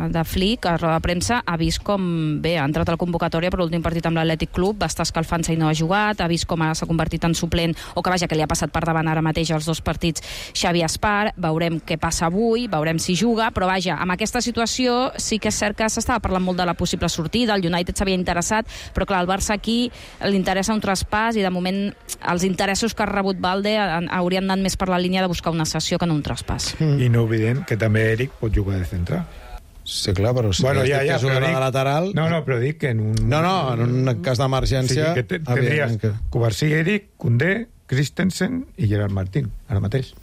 Speaker 8: de Flick, a roda de premsa, ha vist com, bé, ha entrat a la convocatòria per l'últim partit amb l'Atlètic Club, va estar escalfant-se i no ha jugat, ha vist com s'ha convertit en suplent, o que vaja, que li ha passat per davant ara mateix els dos partits Xavi Espar, veurem què passa avui, veurem si juga, però vaja, amb aquesta situació sí que és cert que s'estava parlant molt de la possible sortida, el United s'havia interessat, però clar, el Barça aquí li interessa un traspàs i de moment els interessos que ha rebut Balde haurien anat més per la línia de buscar una cessió que no un traspàs.
Speaker 5: I no oblidem que també Eric pot jugar de central.
Speaker 2: Sí, clar, però si
Speaker 5: ja
Speaker 2: jugar de lateral...
Speaker 5: No, però dic que en un...
Speaker 2: No, en un cas d'emergència...
Speaker 5: Sí, que tindries Cubarsí, Eric, Koundé, Christensen i Gerard Martín, ara mateix.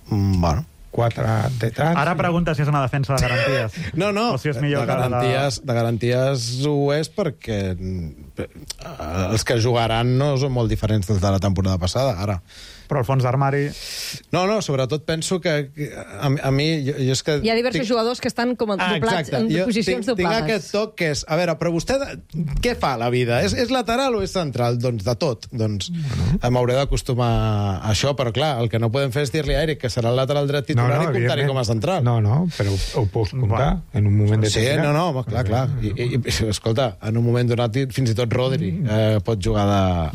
Speaker 2: Bueno...
Speaker 5: 4 detalls...
Speaker 4: Ara pregunta si és una defensa de garanties.
Speaker 2: No,
Speaker 4: o si és millor
Speaker 2: de garanties ho és perquè els que jugaran no són molt diferents dels de la temporada passada, ara.
Speaker 4: Però el fons d'armari...
Speaker 2: No, sobretot penso que a mi... Jo és que
Speaker 3: hi ha diversos jugadors que estan com doblats, en posicions doblades.
Speaker 2: Tinc aquest toc que és... A veure, però vostè què fa a la vida? És lateral o és central? Doncs de tot. Doncs m'hauré d'acostumar a això, però clar, el que no podem fer és dir-li a Eric que serà el lateral dret titular i comptar-hi com a central.
Speaker 5: No, però ho pots comptar en un moment determinat.
Speaker 2: Sí, clar. I escolta, en un moment donat fins i tot Rodri pot jugar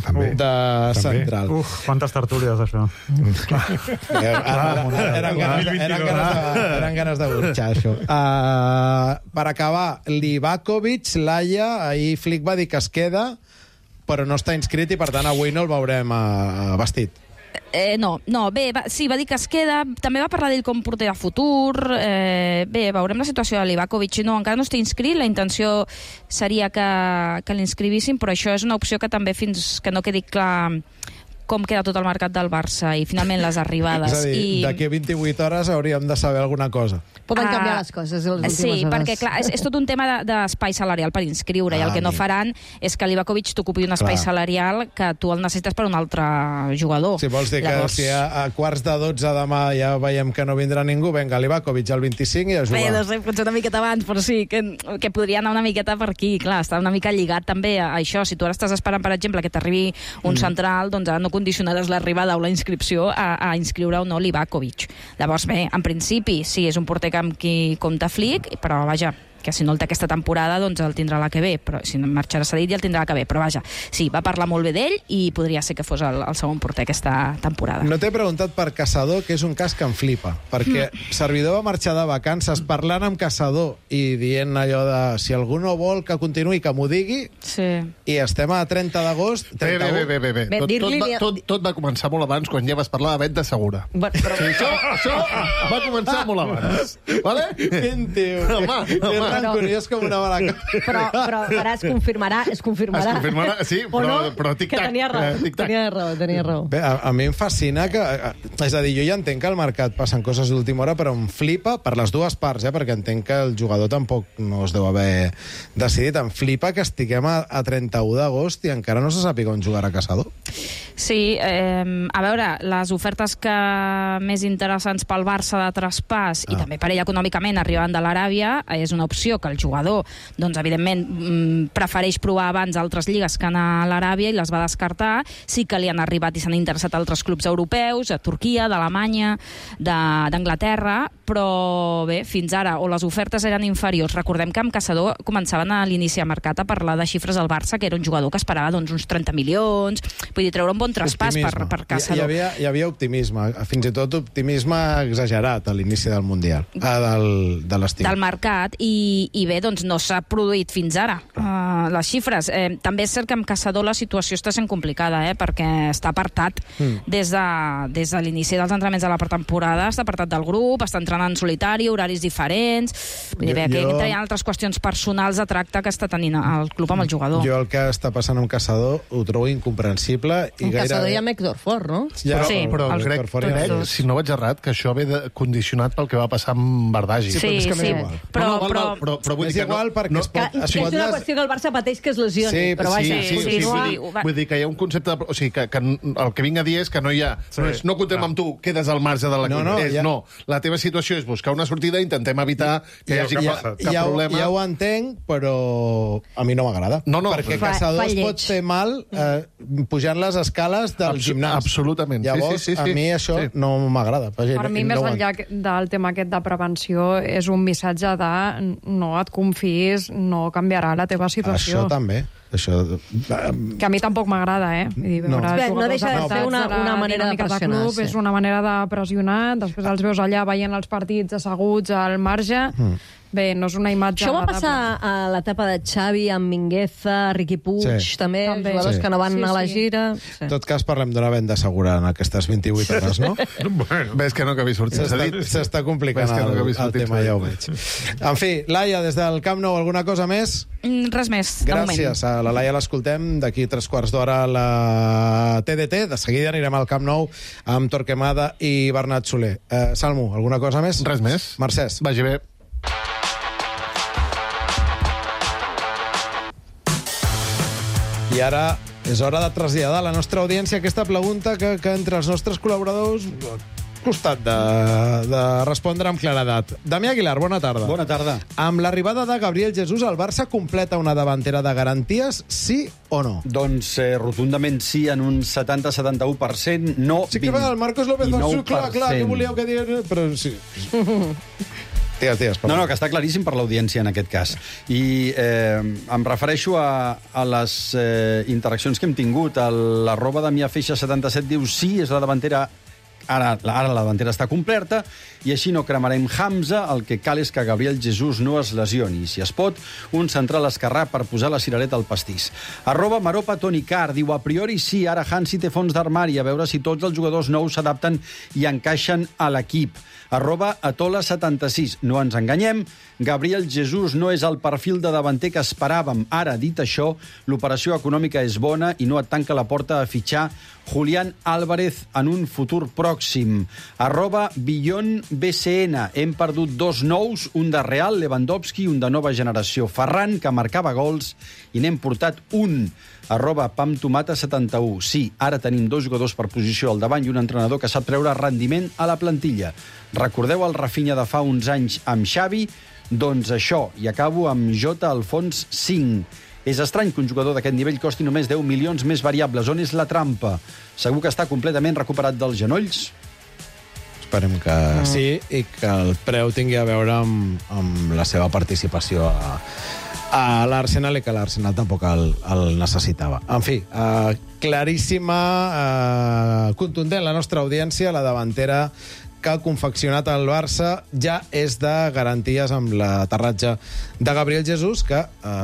Speaker 2: de central.
Speaker 4: Quantes tertúlies Burxes, això.
Speaker 2: Eren ganes de burxar, això. Per acabar, Livakovic, Laia, ahir Flick va dir que es queda, però no està inscrit i, per tant, avui no el veurem vestit.
Speaker 8: Sí, va dir que es queda. També va parlar d'ell com porter de futur. Veurem la situació de Livakovic. No, encara no està inscrit. La intenció seria que l'inscrivissin, però això és una opció que també fins que no quedi clar com queda tot el mercat del Barça i finalment les arribades.
Speaker 2: És a dir, d'aquí a 28 hores hauríem de saber alguna cosa.
Speaker 3: Poden canviar les coses les últimes hores.
Speaker 8: Sí, perquè clar, és tot un tema d'espai salarial per inscriure, i el que no faran és que Livakovic t'ocupi un espai salarial que tu el necessites per un altre jugador.
Speaker 2: Si vols dir que si a quarts de 12 demà ja veiem que no vindrà ningú, venga, Livakovic al 25 i a jugar.
Speaker 8: No sé, potser una miqueta abans, però sí, que podria anar una miqueta per aquí. Clar, està una mica lligat també a això. Si tu ara estàs esperant, per exemple, que t'arribi un central, doncs ara no condicionaràs l'arribada o la inscripció a inscriure o no Livakovic. Llavors, bé, en principi, sí, és un porter amb qui compta Flick, però vaja, que si no el té aquesta temporada, doncs el tindrà la que ve, però si no marxarà cedit ja el tindrà la que ve, però vaja, sí, va parlar molt bé d'ell i podria ser que fos el segon porter aquesta temporada.
Speaker 2: No t'he preguntat per Caçador, que és un cas que em flipa, perquè Servidor va marxar de vacances parlant amb Caçador i dient allò de si algú no vol que continuï, que m'ho digui, i estem a 30 d'agost.
Speaker 7: Bé. Tot va començar molt abans, quan ja vas parlar de venda segura. Això va començar molt abans. Vale?
Speaker 2: Quin tio.
Speaker 7: Home.
Speaker 2: Curiós com una mala cosa.
Speaker 3: Però ara es confirmarà.
Speaker 7: Sí, però tic-tac.
Speaker 3: Que tenia raó.
Speaker 2: Bé, a mi em fascina que... És a dir, jo ja entenc que al mercat passen coses d'última hora, però em flipa per les dues parts, perquè entenc que el jugador tampoc no es deu haver decidit. Em flipa que estiguem a 31 d'agost i encara no se sàpiga on jugarà Caçador.
Speaker 8: Sí, a veure, les ofertes que més interessants pel Barça de traspàs i també per ell econòmicament arribant de l'Aràbia és una opció que el jugador, doncs, evidentment, prefereix provar abans altres lligues que anar a l'Aràbia i les va descartar. Sí que li han arribat i s'han interessat altres clubs europeus, a Turquia, d'Alemanya, d'Anglaterra, però bé, fins ara, o les ofertes eren inferiors. Recordem que amb Caçador començaven a l'inici de mercat a parlar de xifres al Barça, que era un jugador que esperava doncs, uns 30 milions, vull dir, treure un bon traspàs per Caçador.
Speaker 2: Hi havia optimisme, fins i tot optimisme exagerat a l'inici del Mundial, de l'estiu.
Speaker 8: Del mercat, i bé, doncs no s'ha produït fins ara les xifres. També és cert que amb Caçador la situació està sent complicada, perquè està apartat des de l'inici dels entrenaments de la pretemporada, està apartat del grup, està entrenant en solitari, horaris diferents. Vull dir, que hi ha altres qüestions personals de tracte que està tenint el club amb el jugador.
Speaker 2: Jo el que està passant amb Caçador ho trobo incomprensible.
Speaker 3: En Caçador hi ha Héctor Fort, no?
Speaker 7: Però crec, si no vaig errat, que això ve condicionat pel que va passar amb Bardagi.
Speaker 8: Sí,
Speaker 7: però vull dir
Speaker 2: és igual perquè
Speaker 3: és una qüestió que el Barça pateix que es lesioni, però vaja,
Speaker 7: vull dir que hi ha un concepte, o sigui, que el que vinc a dir és que no hi ha, no comptem amb tu, quedes al marge de l'equip. No, la teva situació és buscar una sortida, intentem evitar que hi hagi cap problema.
Speaker 2: Ja ho entenc, però a mi no m'agrada. Perquè Caçador es pot fer mal pujant les escales del gimnàs.
Speaker 7: Absolutament.
Speaker 2: Llavors, a mi això no m'agrada.
Speaker 6: Per mi, més enllà del tema aquest de prevenció, és un missatge de no et confiïs, no canviarà la teva situació.
Speaker 2: Això també.
Speaker 6: Que a mi tampoc m'agrada,
Speaker 3: No deixa de ser una manera de pressionar.
Speaker 6: És una manera de pressionar, després els veus allà veient els partits asseguts al marge. Bé, no és una imatge
Speaker 3: agradable. Això va passar a l'etapa de Xavi, amb Mingueza, Riqui Puig, també, jugadors que no van a la gira.
Speaker 2: En tot cas, parlem d'una venda segura en aquestes 28 hores, no?
Speaker 7: Ves que no que havia sortit.
Speaker 2: S'està complicant el tema, ja ho veig. En fi, Laia, des del Camp Nou, alguna cosa més?
Speaker 8: Res més, de moment.
Speaker 2: Gràcies. A la Laia l'escoltem d'aquí 3/4 d'hora a la TDT. De seguida anirem al Camp Nou amb Torquemada i Bernat Soler. Salmo, alguna cosa més?
Speaker 7: Res més.
Speaker 2: Mercès.
Speaker 7: Vagi bé.
Speaker 2: I ara és hora de traslladar a la nostra audiència aquesta pregunta que entre els nostres col·laboradors ha costat de respondre amb claredat. Damià Aguilar, bona tarda.
Speaker 9: Bona tarda.
Speaker 2: Amb l'arribada de Gabriel Jesús, el Barça completa una davantera de garanties, sí o no?
Speaker 9: Doncs rotundament sí, en un 70-71%, no 20.
Speaker 2: Sí que el Marcos López va dir, clar, que volíeu que digués... Però sí. Digues, perdó.
Speaker 9: No, que està claríssim per l'audiència en aquest cas. I em refereixo a les interaccions que hem tingut. L'arroba de miafeixa77 diu sí, és la davantera. Ara la davantera està completa i així no cremarem Hamza. El que cal és que Gabriel Jesús no es lesioni. Si es pot, un central esquerrà per posar la cirereta al pastís. Arroba Maropa Toni Carr diu a priori sí, ara Hansi té fons d'armari, a veure si tots els jugadors nous s'adapten i encaixen a l'equip. Arroba Atola76. No ens enganyem, Gabriel Jesús no és el perfil de davanter que esperàvem. Ara, dit això, l'operació econòmica és bona i no et tanca la porta a fitxar Julián Álvarez en un futur pròxim. Arroba Billon BCN. Hem perdut 2 nous, un de Real, Lewandowski, un de nova generació, Ferran, que marcava gols, i n'hem portat un. Arroba PamTomata71. Sí, ara tenim 2 jugadors per posició al davant i un entrenador que sap treure rendiment a la plantilla. Recordeu el Rafinha de fa uns anys amb Xavi? Doncs això, i acabo amb J. Alfons 5. És estrany que un jugador d'aquest nivell costi només 10 milions més variables. On és la trampa? Segur que està completament recuperat dels genolls?
Speaker 2: Esperem que sí, i que el preu tingui a veure amb la seva participació a l'Arsenal i que l'Arsenal tampoc el necessitava. En fi, claríssima, contundent la nostra audiència, la davantera que ha confeccionat el Barça ja és de garanties amb l'aterratge de Gabriel Jesús, que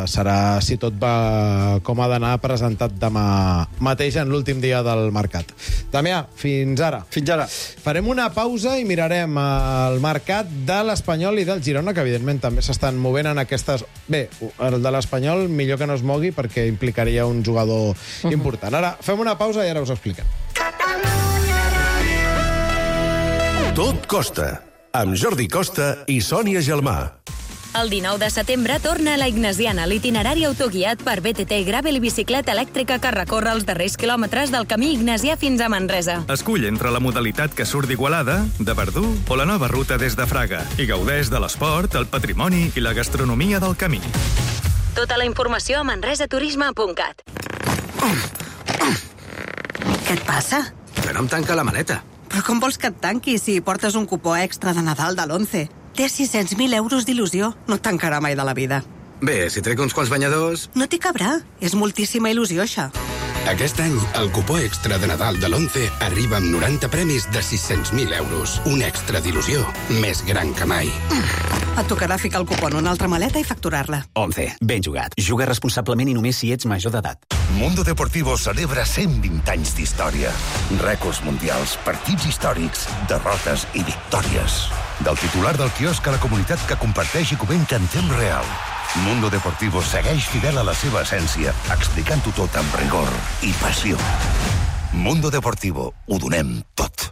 Speaker 2: serà, si tot va com ha d'anar, presentat demà mateix en l'últim dia del mercat. Damià, fins ara.
Speaker 9: Fins ara.
Speaker 2: Farem una pausa i mirarem el mercat de l'Espanyol i del Girona, que evidentment també s'estan movent en aquestes... Bé, el de l'Espanyol millor que no es mogui perquè implicaria un jugador important. Ara fem una pausa i ara us ho expliquem.
Speaker 1: Tot costa, amb Jordi Costa i Sònia Gelmà.
Speaker 10: El 19 de setembre torna a la Ignasiana l'itinerari autoguiat per BTT Gravel i bicicleta elèctrica que recorre els darrers quilòmetres del camí ignasià fins a Manresa.
Speaker 11: Escull entre la modalitat que surt d'Igualada, de Verdú o la nova ruta des de Fraga i gaudeix de l'esport, el patrimoni i la gastronomia del camí.
Speaker 10: Tota la informació a manresaturisme.cat.
Speaker 12: Què et passa?
Speaker 13: Que no em tanca la maleta.
Speaker 12: Però com vols que et tanqui si portes un cupó extra de Nadal de l'11? Té 600.000 euros d'il·lusió. No et tancarà mai de la vida.
Speaker 13: Bé, si trec uns quants banyadors...
Speaker 12: No t'hi cabrà. És moltíssima il·lusió, això.
Speaker 13: Aquest any, el cupó extra de Nadal de l'11 arriba amb 90 premis de 600.000 euros. Un extra d'il·lusió més gran que mai.
Speaker 12: Et tocarà ficar el cupó en una altra maleta i facturar-la.
Speaker 14: 11. Ben jugat. Juga responsablement i només si ets major d'edat.
Speaker 15: Mundo Deportivo celebra 120 anys d'història. Rècords mundials, partits històrics, derrotes i victòries. Del titular del quiosc a la comunitat que comparteix i comenta en temps real. Mundo Deportivo segueix fidel a la seva essència, explicant-ho tot amb rigor i passió. Mundo Deportivo, ho donem tot.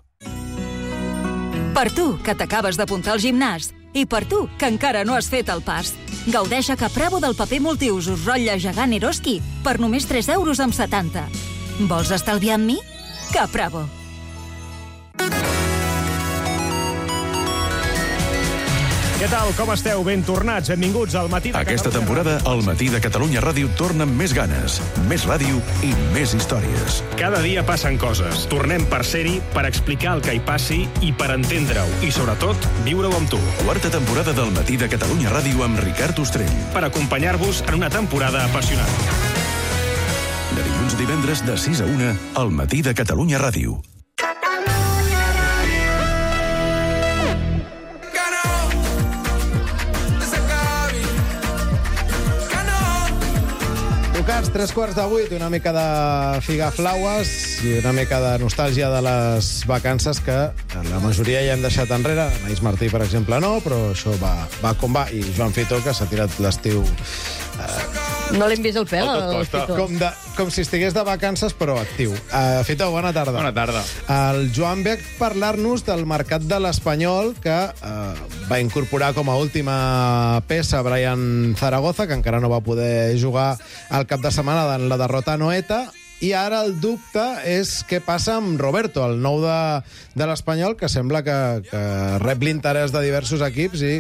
Speaker 10: Per tu, que t'acabes d'apuntar al gimnàs, i per tu, que encara no has fet el pas. Gaudeix a Capravo del paper multiusos rotlle gegant Eroski per només 3,70 €. Vols estalviar amb mi? Capravo.
Speaker 16: Què tal? Com esteu? Ben tornats. Benvinguts al Matí de Catalunya.
Speaker 1: Aquesta temporada, el Matí de Catalunya Ràdio torna amb més ganes, més ràdio i més històries.
Speaker 16: Cada dia passen coses. Tornem per ser-hi, per explicar el que hi passi i per entendre-ho. I, sobretot, viure-ho amb tu.
Speaker 1: Quarta temporada del Matí de Catalunya Ràdio amb Ricard Ostrell.
Speaker 16: Per acompanyar-vos en una temporada apassionant.
Speaker 1: De dilluns a divendres de 6 a 1, al Matí de Catalunya Ràdio.
Speaker 2: Tocats, 7:45, una mica de figaflaues i una mica de nostàlgia de les vacances que la majoria ja hem deixat enrere. Anaïs Martí, per exemple, no, però això va com va. I Joan Fito, que s'ha tirat l'estiu...
Speaker 3: No l'hem vist el pèl, el Fito.
Speaker 2: Com si estigués de vacances, però actiu. Fito, bona tarda.
Speaker 5: Bona tarda.
Speaker 2: El Joan ve a parlar-nos del mercat de l'Espanyol, que va incorporar com a última peça Brian Zaragoza, que encara no va poder jugar al cap de setmana en la derrota a Noeta, i ara el dubte és què passa amb Roberto, el nou de l'Espanyol, que sembla que rep l'interès de diversos equips i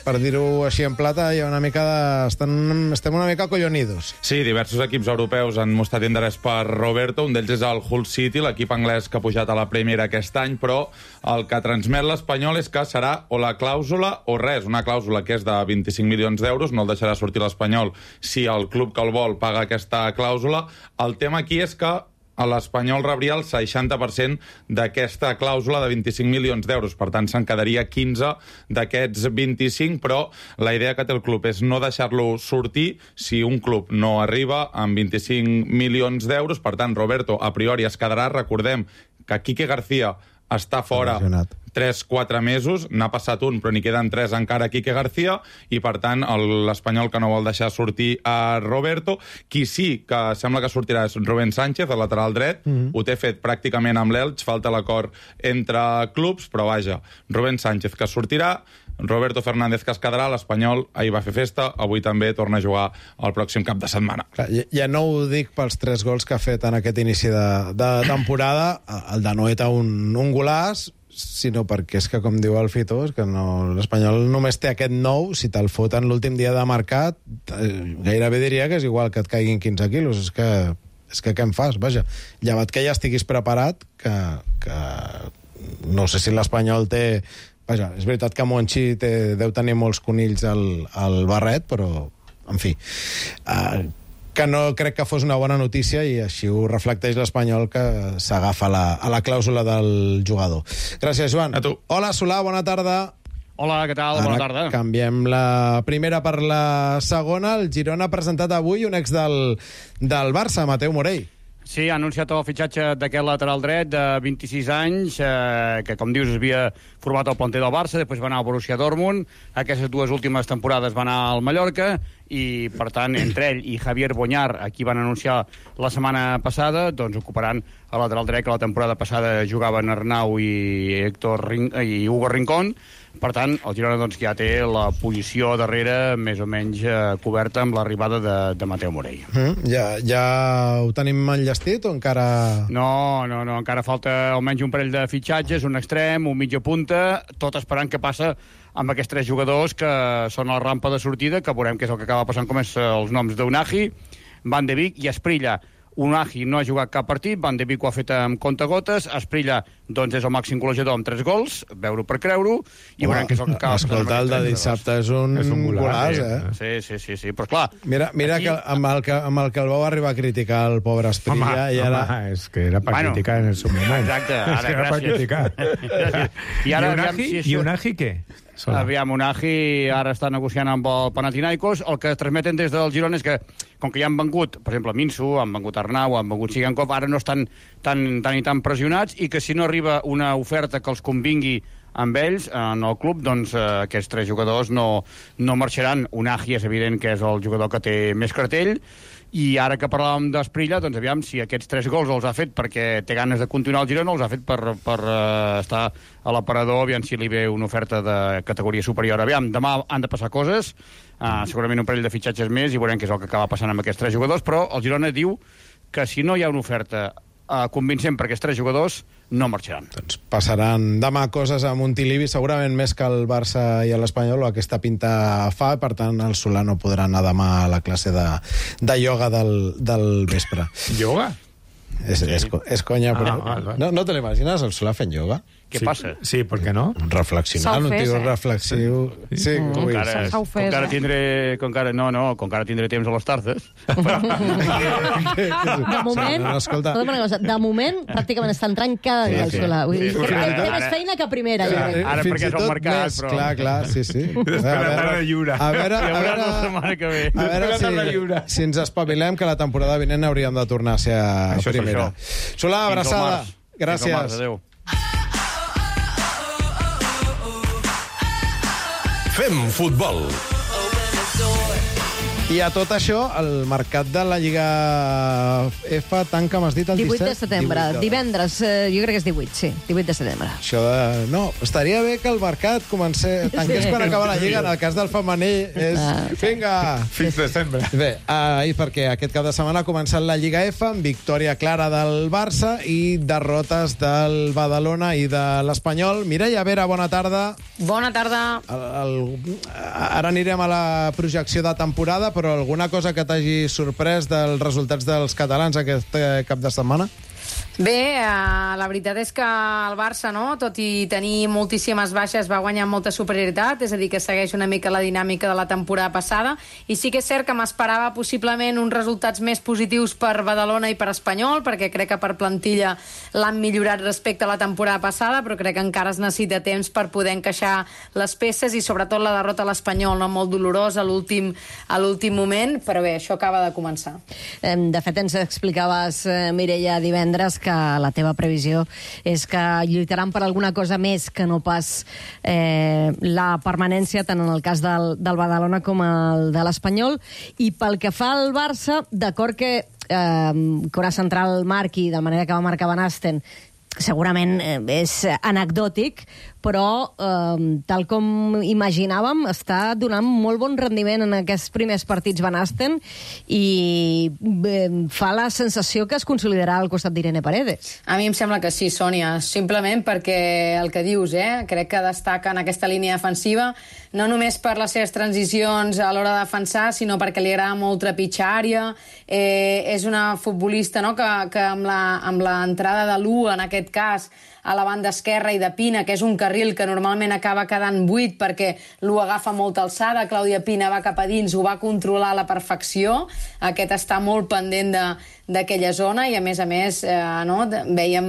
Speaker 2: per dir-ho així en plata, hi ha una mica estem una mica collonidos.
Speaker 17: Sí, diversos equips europeus han mostrat interès per Roberto, un d'ells és el Hull City, l'equip anglès que ha pujat a la Premier aquest any, però el que transmet l'Espanyol és que serà o la clàusula o res, una clàusula que és de 25 milions d'euros, no el deixarà sortir l'Espanyol si el club que el vol paga aquesta clàusula. El tema aquí és que l'Espanyol rebria el 60% d'aquesta clàusula de 25 milions d'euros. Per tant, se'n quedaria 15 d'aquests 25, però la idea que té el club és no deixar-lo sortir si un club no arriba amb 25 milions d'euros. Per tant, Roberto, a priori, es quedarà. Recordem que Quique García està fora 3-4 mesos, n'ha passat un, però n'hi queden 3 encara a Quique García, i per tant l'Espanyol que no vol deixar sortir a Roberto. Qui sí que sembla que sortirà és Rubén Sánchez, el lateral dret, ho té fet pràcticament amb l'Elx, falta l'acord entre clubs, però vaja, Rubén Sánchez que sortirà, Roberto Fernández que es quedarà, l'Espanyol ahir va fer festa, avui també torna a jugar el pròxim cap de setmana.
Speaker 2: Clar, ja no ho dic pels 3 gols que ha fet en aquest inici de temporada, el de Noeta un golaç, sinó perquè és que, com diu el Fito, és que l'Espanyol només té aquest 9, si te'l foten l'últim dia de mercat, gairebé diria que és igual que et caiguin 15 quilos, és que què em fas? Vaja, llevat que ja estiguis preparat, que no sé si l'Espanyol té... Vaja, és veritat que Monchi deu tenir molts conills al barret, però, en fi, que no crec que fos una bona notícia i així ho reflecteix l'Espanyol, que s'agafa a la clàusula del jugador. Gràcies, Joan.
Speaker 17: A tu.
Speaker 2: Hola, Solà, bona tarda.
Speaker 18: Hola, què tal? Bona tarda.
Speaker 2: Canviem la primera per la segona. El Girona ha presentat avui un ex del Barça, Mateu Morell.
Speaker 18: Sí, ha anunciat el fitxatge d'aquest lateral dret de 26 anys, que, com dius, havia format el planter del Barça, després va anar al Borussia Dortmund, aquestes 2 últimes temporades va anar al Mallorca, i, per tant, entre ell i Javier Boñar, a qui van anunciar la setmana passada, doncs ocuparan el lateral dret, que la temporada passada jugaven Arnau i Hugo Rincón. Per tant, el Girona doncs, ja té la posició darrere més o menys coberta amb l'arribada de Mateu Morell.
Speaker 2: Ja ho tenim enllestit o encara...
Speaker 18: No, encara falta almenys un parell de fitxatges, un extrem, un mitja punta, tot esperant què passa amb aquests 3 jugadors que són a la rampa de sortida, que veurem què és el que acaba passant, com és els noms d'Unagi, Van de Beek i Esprilla. Unagi no ha jugat cap partit, Van de Beek ho ha fet amb comptagotes, Esprilla doncs és el màxim golejador amb 3 gols, veure per creure-ho, i veurem què és el que acaba passant.
Speaker 2: Escolta, el de dissabte és un golaç,
Speaker 18: Sí, però esclar...
Speaker 2: Mira aquí... que amb el que el vau arribar a criticar el pobre Esprilla...
Speaker 5: Home, és que era per criticar en el seu moment.
Speaker 18: Exacte, ara,
Speaker 5: era per criticar. I Unagi què?
Speaker 18: Aviam, Unagi ara està negociant amb el Panathinaikos. El que transmeten des del Girona és que, com que ja han vengut, per exemple, Minsu, han vengut Arnau, han vengut Sigankov, ara no estan tan pressionats, i que si no arriba una oferta que els convingui amb ells, en el club, doncs aquests 3 jugadors no marxaran. Unagi és evident que és el jugador que té més cartell, i ara que parlàvem d'Esprilla, doncs aviam si aquests 3 gols els ha fet perquè té ganes de continuar al Girona, els ha fet per estar a l'aparador, aviam si li ve una oferta de categoria superior. Aviam, demà han de passar coses, segurament un parell de fitxatges més, i veurem què és el que acaba passant amb aquests 3 jugadors, però el Girona diu que si no hi ha una oferta convincent per aquests 3 jugadors, no marxaran.
Speaker 2: Doncs passaran demà coses a Montilivi, segurament més que el Barça i l'Espanyol, o aquesta pinta fa, per tant el Solà no podrà anar demà a la classe de ioga del vespre.
Speaker 5: Ioga?
Speaker 2: És conya, però... No te l'imagines, el Solà fent ioga?
Speaker 18: Què passa?
Speaker 5: Sí, per què no?
Speaker 2: Reflexionant, un tio reflexiu... Sí,
Speaker 6: com encara
Speaker 18: tindré temps a les tardes.
Speaker 3: De moment, de moment, pràcticament està entrant cada dia el Solà. Té més feina que primera.
Speaker 18: Ara perquè és el mercat, però...
Speaker 2: Clar, sí. A veure si ens espavilem, que la temporada vinent hauríem de tornar a ser a primera. Solà, abraçada. Gràcies.
Speaker 18: Adéu.
Speaker 1: Fem futbol.
Speaker 2: I a tot això, el mercat de la Lliga F tanca, m'has dit, el
Speaker 3: 18 de
Speaker 2: 17?
Speaker 3: setembre. Divendres, jo crec que és 18, sí. 18 de setembre.
Speaker 2: Això de... No, estaria bé que el mercat tanqués quan acaba la Lliga. En el cas del femení és... Vinga!
Speaker 5: Fins desembre.
Speaker 2: Bé, i perquè aquest cap de setmana ha començat la Lliga F amb victòria clara del Barça i derrotes del Badalona i de l'Espanyol. Mireia Vera, bona tarda.
Speaker 19: Bona tarda.
Speaker 2: Ara anirem a la projecció de temporada, però alguna cosa que t'hagi sorprès dels resultats dels catalans aquest cap de setmana?
Speaker 19: Bé, la veritat és que el Barça, no, tot i tenir moltíssimes baixes, va guanyar molta superioritat, és a dir, que segueix una mica la dinàmica de la temporada passada, i sí que és cert que m'esperava possiblement uns resultats més positius per Badalona i per Espanyol, perquè crec que per plantilla l'han millorat respecte a la temporada passada, però crec que encara es necessita temps per poder encaixar les peces, i sobretot la derrota a l'Espanyol, no, molt dolorosa a l'últim moment, però bé, això acaba de començar.
Speaker 3: De fet, ens explicaves, Mireia, divendres, que la teva previsió és que lluitaran per alguna cosa més que no pas la permanència, tant en el cas del Badalona com el de l'Espanyol. I pel que fa al Barça, d'acord que haurà central marqui de la manera que va marcar Van Asten, segurament és anecdòtic, però tal com imaginàvem, està donant molt bon rendiment en aquests primers partits Van Asten, i fa la sensació que es consolidarà al costat d'Irene Paredes.
Speaker 19: A mi em sembla que sí, Sònia, simplement perquè el que dius, crec que destaca en aquesta línia defensiva, no només per les seves transicions a l'hora de defensar, sinó perquè li agrada molt trepitjar àrea. És una futbolista, no, que amb l'entrada de l'U, en aquest cas, a la banda esquerra, i de Pina, que és un carril que normalment acaba quedant buit perquè l'U agafa molta alçada, Clàudia Pina va cap a dins, ho va controlar a la perfecció, aquest està molt pendent d'aquella zona, i a més, no, veiem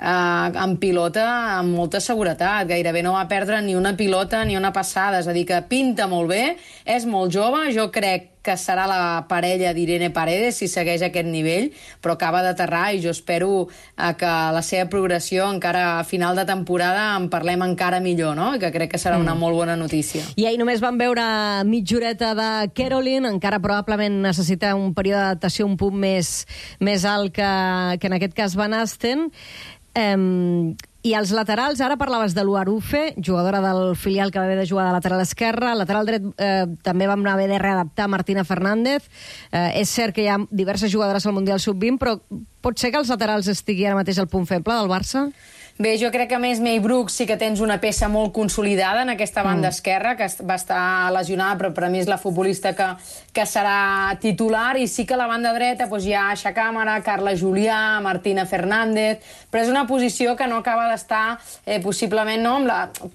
Speaker 19: en pilota amb molta seguretat, gairebé no va perdre ni una pilota ni una passada, és a dir, que pinta molt bé, és molt jove, jo crec que serà la parella d'Irene Paredes si segueix aquest nivell, però acaba d'aterrar, i jo espero que la seva progressió encara a final de temporada en parlem encara millor, no? I que crec que serà una molt bona notícia.
Speaker 3: I ahir només vam veure mitja horeta de Caroline, encara probablement necessita un període d'adaptació un punt més alt que en aquest cas Van Asten. I els laterals, ara parlaves de l'Uarufe, jugadora del filial que va haver de jugar de lateral esquerra, lateral dret també vam haver de readaptar Martina Fernández. És cert que hi ha diverses jugadores al Mundial Sub-20, però pot ser que els laterals estigui ara mateix al punt feble del Barça?
Speaker 19: Bé, jo crec que a més May Brooks sí que tens una peça molt consolidada en aquesta banda esquerra, que va estar lesionada, però per a mi és la futbolista que serà titular, i sí que a la banda dreta hi ha Aixa Càmera, Carla Julià, Martina Fernández, però és una posició que no acaba d'estar possiblement, no?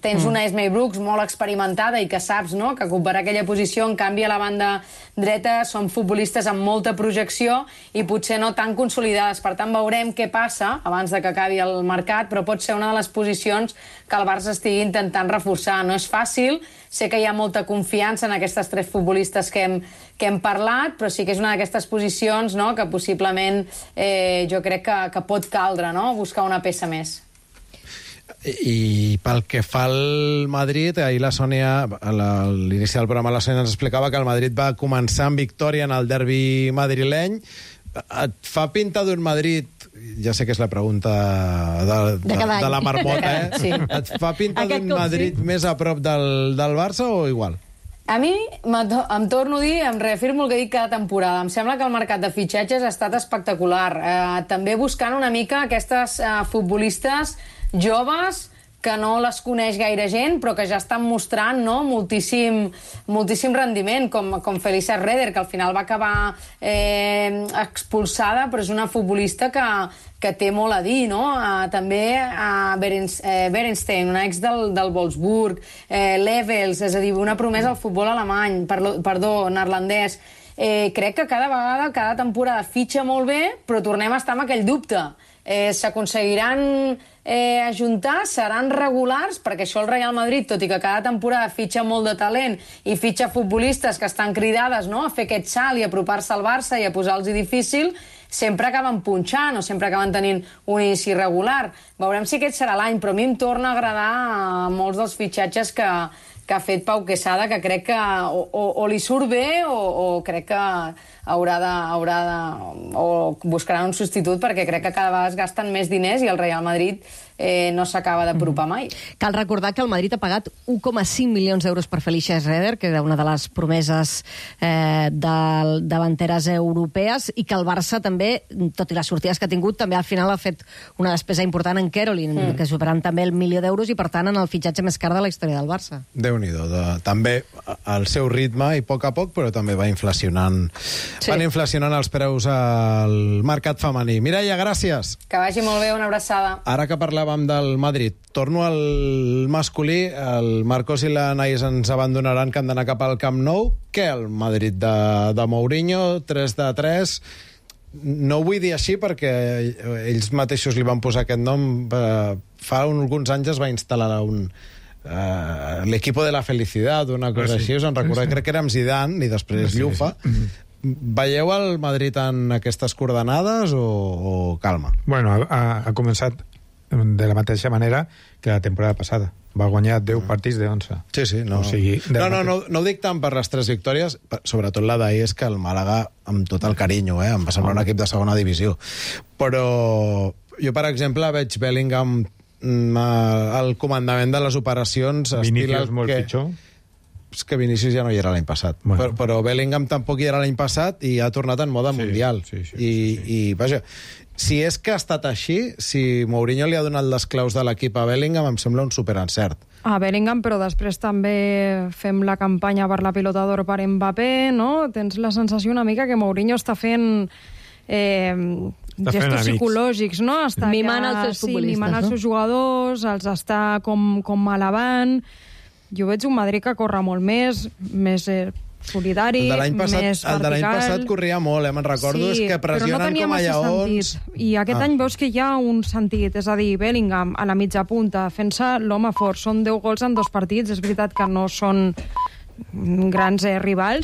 Speaker 19: Tens una May Brooks molt experimentada i que saps, no?, que ocuparà aquella posició, en canvi a la banda dreta són futbolistes amb molta projecció i potser no tan consolidades. Per tant, veurem què passa abans de que acabi el mercat, però pot ser una de les posicions que el Barça estigui intentant reforçar. No és fàcil, sé que hi ha molta confiança en aquestes tres futbolistes que hem parlat, però sí que és una d'aquestes posicions, no?, que possiblement jo crec que pot caldre, no?, buscar una peça més.
Speaker 2: I pel que fa al Madrid, ahir la Sònia, a l'inici del programa, la Sònia ens explicava que el Madrid va començar amb victòria en el derbi madrileny. Et fa pinta d'un Madrid, ja sé que és la pregunta de la marmota,
Speaker 3: Sí.
Speaker 2: Et fa pinta d'un Madrid més a prop del Barça o igual?
Speaker 19: A mi, em torno a dir, em reafirmo el que dic cada temporada. Em sembla que el mercat de fitxatges ha estat espectacular. També buscant una mica aquestes futbolistes joves que no les coneix gaire gent, però que ja estan mostrant, no?, moltíssim rendiment, com Felisa Reder, que al final va acabar expulsada, però és una futbolista que té molt a dir, no? També Berenstein, una ex del Wolfsburg, Levels, és a dir, una promesa al futbol alemany, neerlandès. Crec que cada vegada, cada temporada fitxa molt bé, però tornem a estar amb aquell dubte. S'aconseguiran ajuntar, seran regulars, perquè això el Real Madrid, tot i que cada temporada fitxa molt de talent i fitxa futbolistes que estan cridades, no?, a fer aquest salt i a apropar-se al Barça i a posar-los difícil, sempre acaben punxant o sempre acaben tenint un inici regular. Veurem si aquest serà l'any, però a mi em torna a agradar molts dels fitxatges que ha fet Pau Quesada, que crec que o li surt bé o crec que haurà de o buscarà un substitut, perquè crec que cada vegada es gasten més diners i el Real Madrid no s'acaba d'apropar mai.
Speaker 3: Cal recordar que el Madrid ha pagat 1,5 milions d'euros per Felicia Schroeder, que era una de les promeses de davanteres europees, i que el Barça també, tot i les sortides que ha tingut, també al final ha fet una despesa important en Caroline, que superant també el 1 milió d'euros i, per tant, en el fitxatge més car de la història del Barça.
Speaker 2: Déu-n'hi-do. També al seu ritme i a poc, però també va inflacionant els preus al mercat femení. Mireia, gràcies.
Speaker 19: Que vagi molt bé, una abraçada.
Speaker 2: Ara que parlàvem del Madrid, torno al masculí. El Marcos i la Anaïs ens abandonaran, que han d'anar cap al Camp Nou. Què el Madrid de Mourinho? 3-3. No ho vull dir així perquè ells mateixos li van posar aquest nom. Fa alguns anys es va instal·lar l'equipo de la felicidad, una cosa així. Us en recordeu? Crec que era amb Zidane i després Llufa. Veieu el Madrid en aquestes coordenades o calma?
Speaker 5: Bueno, ha començat de la mateixa manera que la temporada passada. Va guanyar 10 partits de 11.
Speaker 2: Sí, no.
Speaker 5: O sigui,
Speaker 2: no ho dic tant per les 3 victòries, sobretot la d'ahir és que el Màlaga, amb tot el carinyo, em va semblar un equip de segona divisió. Però jo, per exemple, veig Bellingham al comandament de les operacions.
Speaker 5: Vinícius molt pitjor.
Speaker 2: És que Vinícius ja no hi era l'any passat. Bueno. Però Bellingham tampoc hi era l'any passat i ha tornat en mode mundial. I vaja, si és que ha estat així, si Mourinho li ha donat les claus de l'equip a Bellingham, em sembla un superencert.
Speaker 6: A Bellingham, però després també fem la campanya per la pilota d'or per Mbappé, no? Tens la sensació una mica que Mourinho està fent gestos psicològics, no? Està
Speaker 3: mimant els seus futbolistes,
Speaker 6: mimant els seus jugadors, els està com alabant. Jo veig un Madrid que corre molt més solidari, més vertical.
Speaker 2: El de l'any passat corria molt, me'n recordo, és que pressionen com a lleons.
Speaker 6: I aquest any veus que hi ha un sentit, és a dir, Bellingham a la mitja punta, fent-se l'home fort. Són 10 gols en 2 partits, és veritat que no són grans rivals,